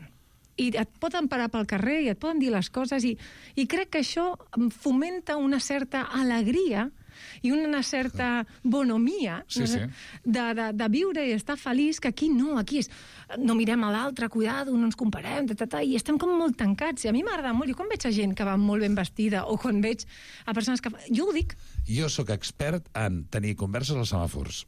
I et poden parar pel carrer i et poden dir les coses, i crec que això fomenta una certa alegria i una certa bonomia de viure i estar feliç, que aquí no, aquí és no mirem a l'altre, cuidado, no ens comparem, i estem com molt tancats. I a mi m'agrada molt, jo quan veig a gent que va molt ben vestida o quan veig a persones que... Jo ho dic. Jo sóc expert en tenir converses als semàfors.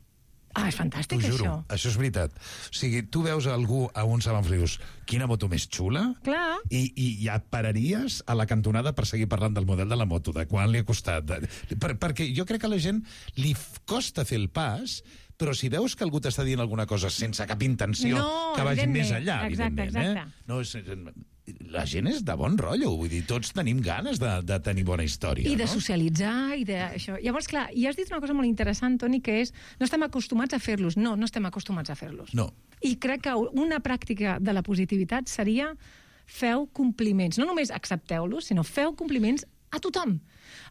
Ah, és fantàstic, això. T'ho juro, això és veritat. O sigui, tu veus algú a un semàfor i dius, quina moto més xula? Clar. I ja pararies a la cantonada per seguir parlant del model de la moto, de quan li ha costat. Perquè jo crec que a la gent li costa fer el pas, però si veus que algú t'està dient alguna cosa sense cap intenció que vagi més enllà, evidentment. No, la gent és de bon rotllo, vull dir, tots tenim ganes de tenir bona història. I de socialitzar, i d'això. Llavors, clar, i has dit una cosa molt interessant, Toni, que és, no estem acostumats a fer-los. No estem acostumats a fer-los. No. I crec que una pràctica de la positivitat seria feu compliments. No només accepteu-los, sinó feu compliments a tothom.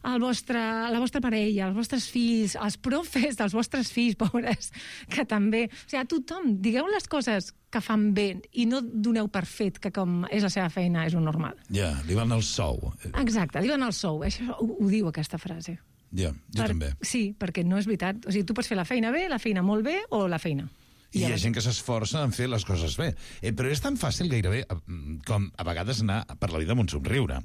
La vostra parella, els vostres fills, els profes dels vostres fills, pobres, que també... O sigui, a tothom, digueu les coses que fan bé i no doneu per fet que com és la seva feina és un normal. Ja, li van al sou. Exacte, li van al sou. Això ho diu aquesta frase. Ja, jo també. Sí, perquè no és veritat. O sigui, tu pots fer la feina bé, la feina molt bé o la feina. I hi ha gent que s'esforça en fer les coses bé. Però és tan fàcil gairebé com a vegades anar per la vida amb un somriure.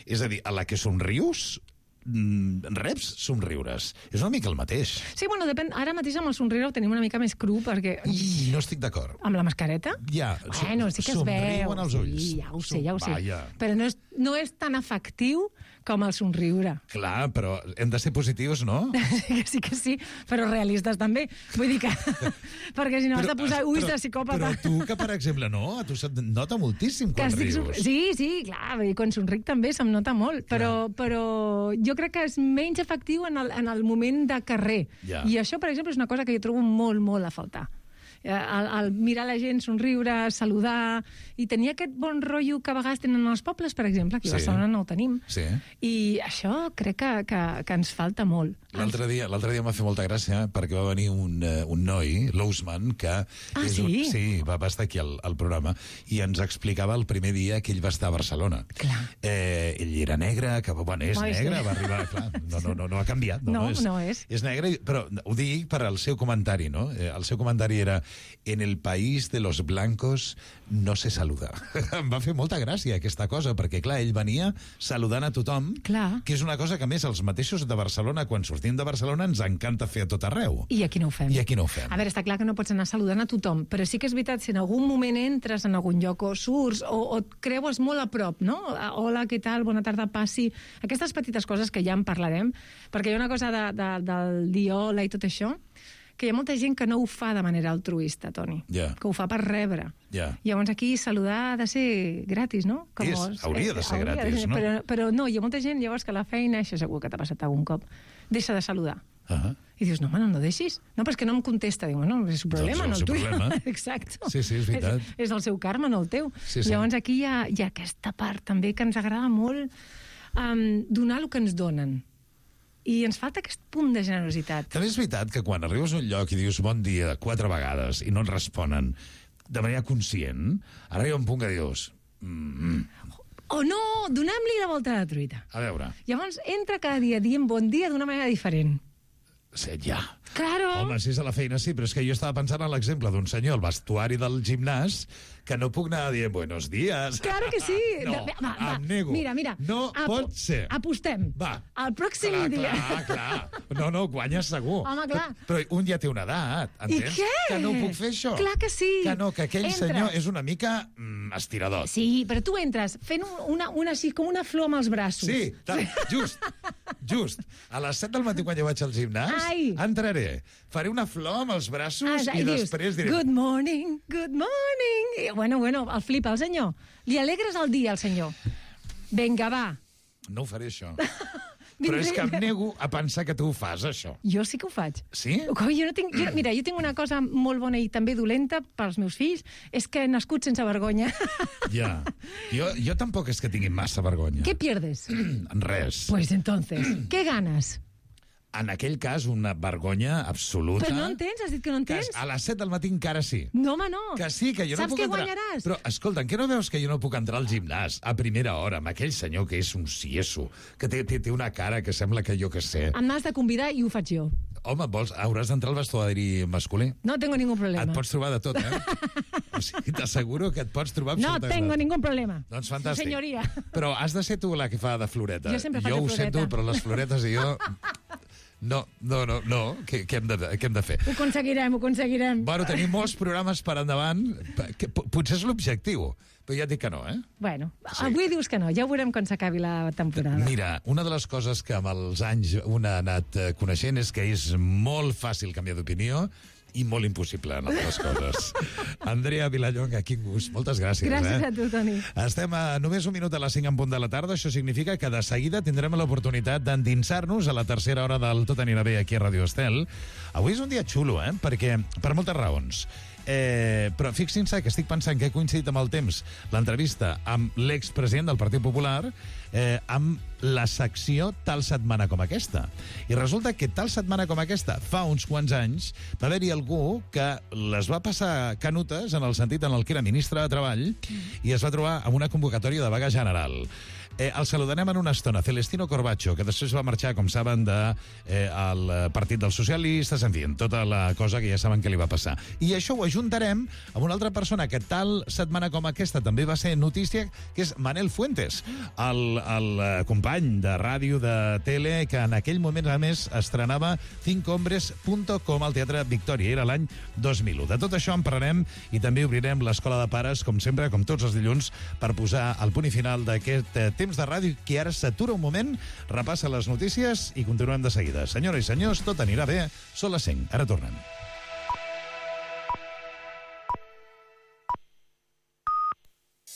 És a dir, a la que somrius, reps somriures. És una mica el mateix. Sí, bueno, depèn. Ara mateix amb el somriure ho tenim una mica més cru perquè... No estic d'acord. Amb la mascareta? Ja, bueno, sí que es veu. Somriuen els ulls. Sí, ja ho sé, ja ho sé. Vaja. Però no és tan efectiu com el somriure. Clar, però hem de ser positius, no? Sí que sí, però realistes també. Vull dir que... perquè si no has de posar ulls de psicòpata... Però tu, que per exemple, no? A tu se't nota moltíssim quan rius. Sí, clar, quan somric també se'm nota molt, però jo crec que és menys efectiu en el moment de carrer. Ja. I això, per exemple, és una cosa que jo trobo molt, molt a faltar. El mirar la gent, somriure, saludar, i tenir aquest bon rotllo que a vegades tenen els pobles, per exemple, aquí a Barcelona no ho tenim. Sí. I això crec que ens falta molt. L'altre dia m'ha fet molta gràcia perquè va venir un noi, l'Ousman, que va estar aquí al programa i ens explicava el primer dia que ell va estar a Barcelona. Ell era negre, que bueno, és negre, va arribar, clar, no ha canviat. No és. És negre, però ho dic per al seu comentari, no? El seu comentari era: en el país de los blancos no se saluda. Em va fer molta gràcia aquesta cosa, perquè clar, ell venia saludant a tothom, que és una cosa que a més els mateixos de Barcelona, quan sortim de Barcelona, ens encanta fer a tot arreu. I aquí no ho fem. A veure, està clar que no pots anar saludant a tothom, però sí que és veritat, si en algun moment entres en algun lloc o surts o et creues molt a prop, no? Hola, què tal? Bona tarda, passi. Aquestes petites coses que ja en parlarem, perquè hi ha una cosa del dir hola i tot això, que hi ha molta gent que no ho fa de manera altruista, Toni, que ho fa per rebre. Llavors aquí saludar ha de ser gratis, no? Hauria de ser gratis, no? Però no, hi ha molta gent llavors que a la feina, això segur que t'ha passat algun cop, deixa de saludar. I dius, no, no deixis. No, però és que no em contesta. Diu, bueno, és el problema, no el tuyo. Exacte. Sí, és veritat. És el seu karma, no el teu. Llavors aquí hi ha aquesta part també que ens agrada molt donar el que ens donen. I ens falta aquest punt de generositat. També és veritat que quan arribes a un lloc i dius bon dia 4 vegades i no et responen de manera conscient, arriba un punt que dius... O no, donem-li la volta a la truita. A veure. Llavors entra cada dia dient bon dia d'una manera diferent. Ja. Claro. Home, si és a la feina sí, però és que jo estava pensant en l'exemple d'un senyor al vestuari del gimnàs que no puc anar dient buenos días. Claro que sí. No, em nego. Mira. No pot ser. Apostem. Va. El pròxim dia. Clar. No, guanyes segur. Home, clar. Però un ja té una edat, entens? I què? Que no puc fer això. Clar que sí. Que aquell senyor és una mica estirador. Sí, però tu entres fent una així, com una flor amb els braços. Sí, just. A les 7 del matí quan jo vaig al gimnàs, entraré, faré una flor amb els braços i després diré... Good morning. I, bueno, el flipa el senyor. Li alegres el dia al senyor. Vinga, va. No ho faré, això. Però és que em nego a pensar que tu ho fas, això. Jo sí que ho faig. Sí? Mira, jo tinc una cosa molt bona i també dolenta pels meus fills, és que he nascut sense vergonya. Ja. Jo tampoc és que tingui massa vergonya. ¿Qué pierdes? Res. Pues entonces, ¿qué ganas? En aquell cas, una vergonya absoluta. Però no entens? Has dit que no entens? A les 7 del matí encara sí. No, home, no. Que sí, que jo no puc entrar. Saps què guanyaràs? Però, escolta, què no veus que jo no puc entrar al gimnàs a primera hora amb aquell senyor que és un cieso, que té una cara que sembla que jo que sé. Em m'has de convidar i ho faig jo. Home, hauràs d'entrar al vestuari masculí. No tengo ningún problema. Et pots trobar de tot, O sigui, t'asseguro que et pots trobar absolutament. No tengo ningún problema. Doncs fantàstic. Sí, senyoria. Però has de ser tu la que fa de floreta. Jo sempre faig de floreta. Jo ho sento, però les floretes i jo... No. Què hem de fer? Ho aconseguirem. Bueno, tenim molts programes per endavant. Potser és l'objectiu, però ja et dic que no, Bueno, avui dius que no, ja ho veurem quan s'acabi la temporada. Mira, una de les coses que amb els anys una ha anat coneixent és que és molt fàcil canviar d'opinió i molt impossible en altres coses. Andrea Vilallonga, quin gust. Moltes gràcies. Gràcies a tu, Toni. Estem a només un minut a les 5 en punt de la tarda. Això significa que de seguida tindrem l'oportunitat d'endinsar-nos a la tercera hora del Tot anirà bé aquí a Radio Estel. Avui és un dia xulo, perquè per moltes raons. Però fixin-se que estic pensant que he coincidit amb el temps l'entrevista amb l'expresident del Partit Popular amb la secció Tal setmana com aquesta. I resulta que tal setmana com aquesta, fa uns quants anys, va haver-hi algú que les va passar canutes en el sentit en el que era ministre de Treball i es va trobar amb una convocatòria de vaga general. El saludarem en una estona. Celestino Corbacho, que després va marxar, com saben, del Partit dels Socialistes, en fi, tota la cosa que ja saben que li va passar. I això ho ajuntarem amb una altra persona que tal setmana com aquesta també va ser notícia, que és Manel Fuentes, el company de ràdio, de tele, que en aquell moment, a més, estrenava cincohombres.com al Teatre Victòria. Era l'any 2001. De tot això en parlarem i també obrirem l'Escola de Pares, com sempre, com tots els dilluns, per posar el punt i final d'aquest temps de ràdio, que ara s'atura un moment, repassa les notícies i continuem de seguida. Senyores i senyors, tot anirà bé. Són les 5. Ara tornem.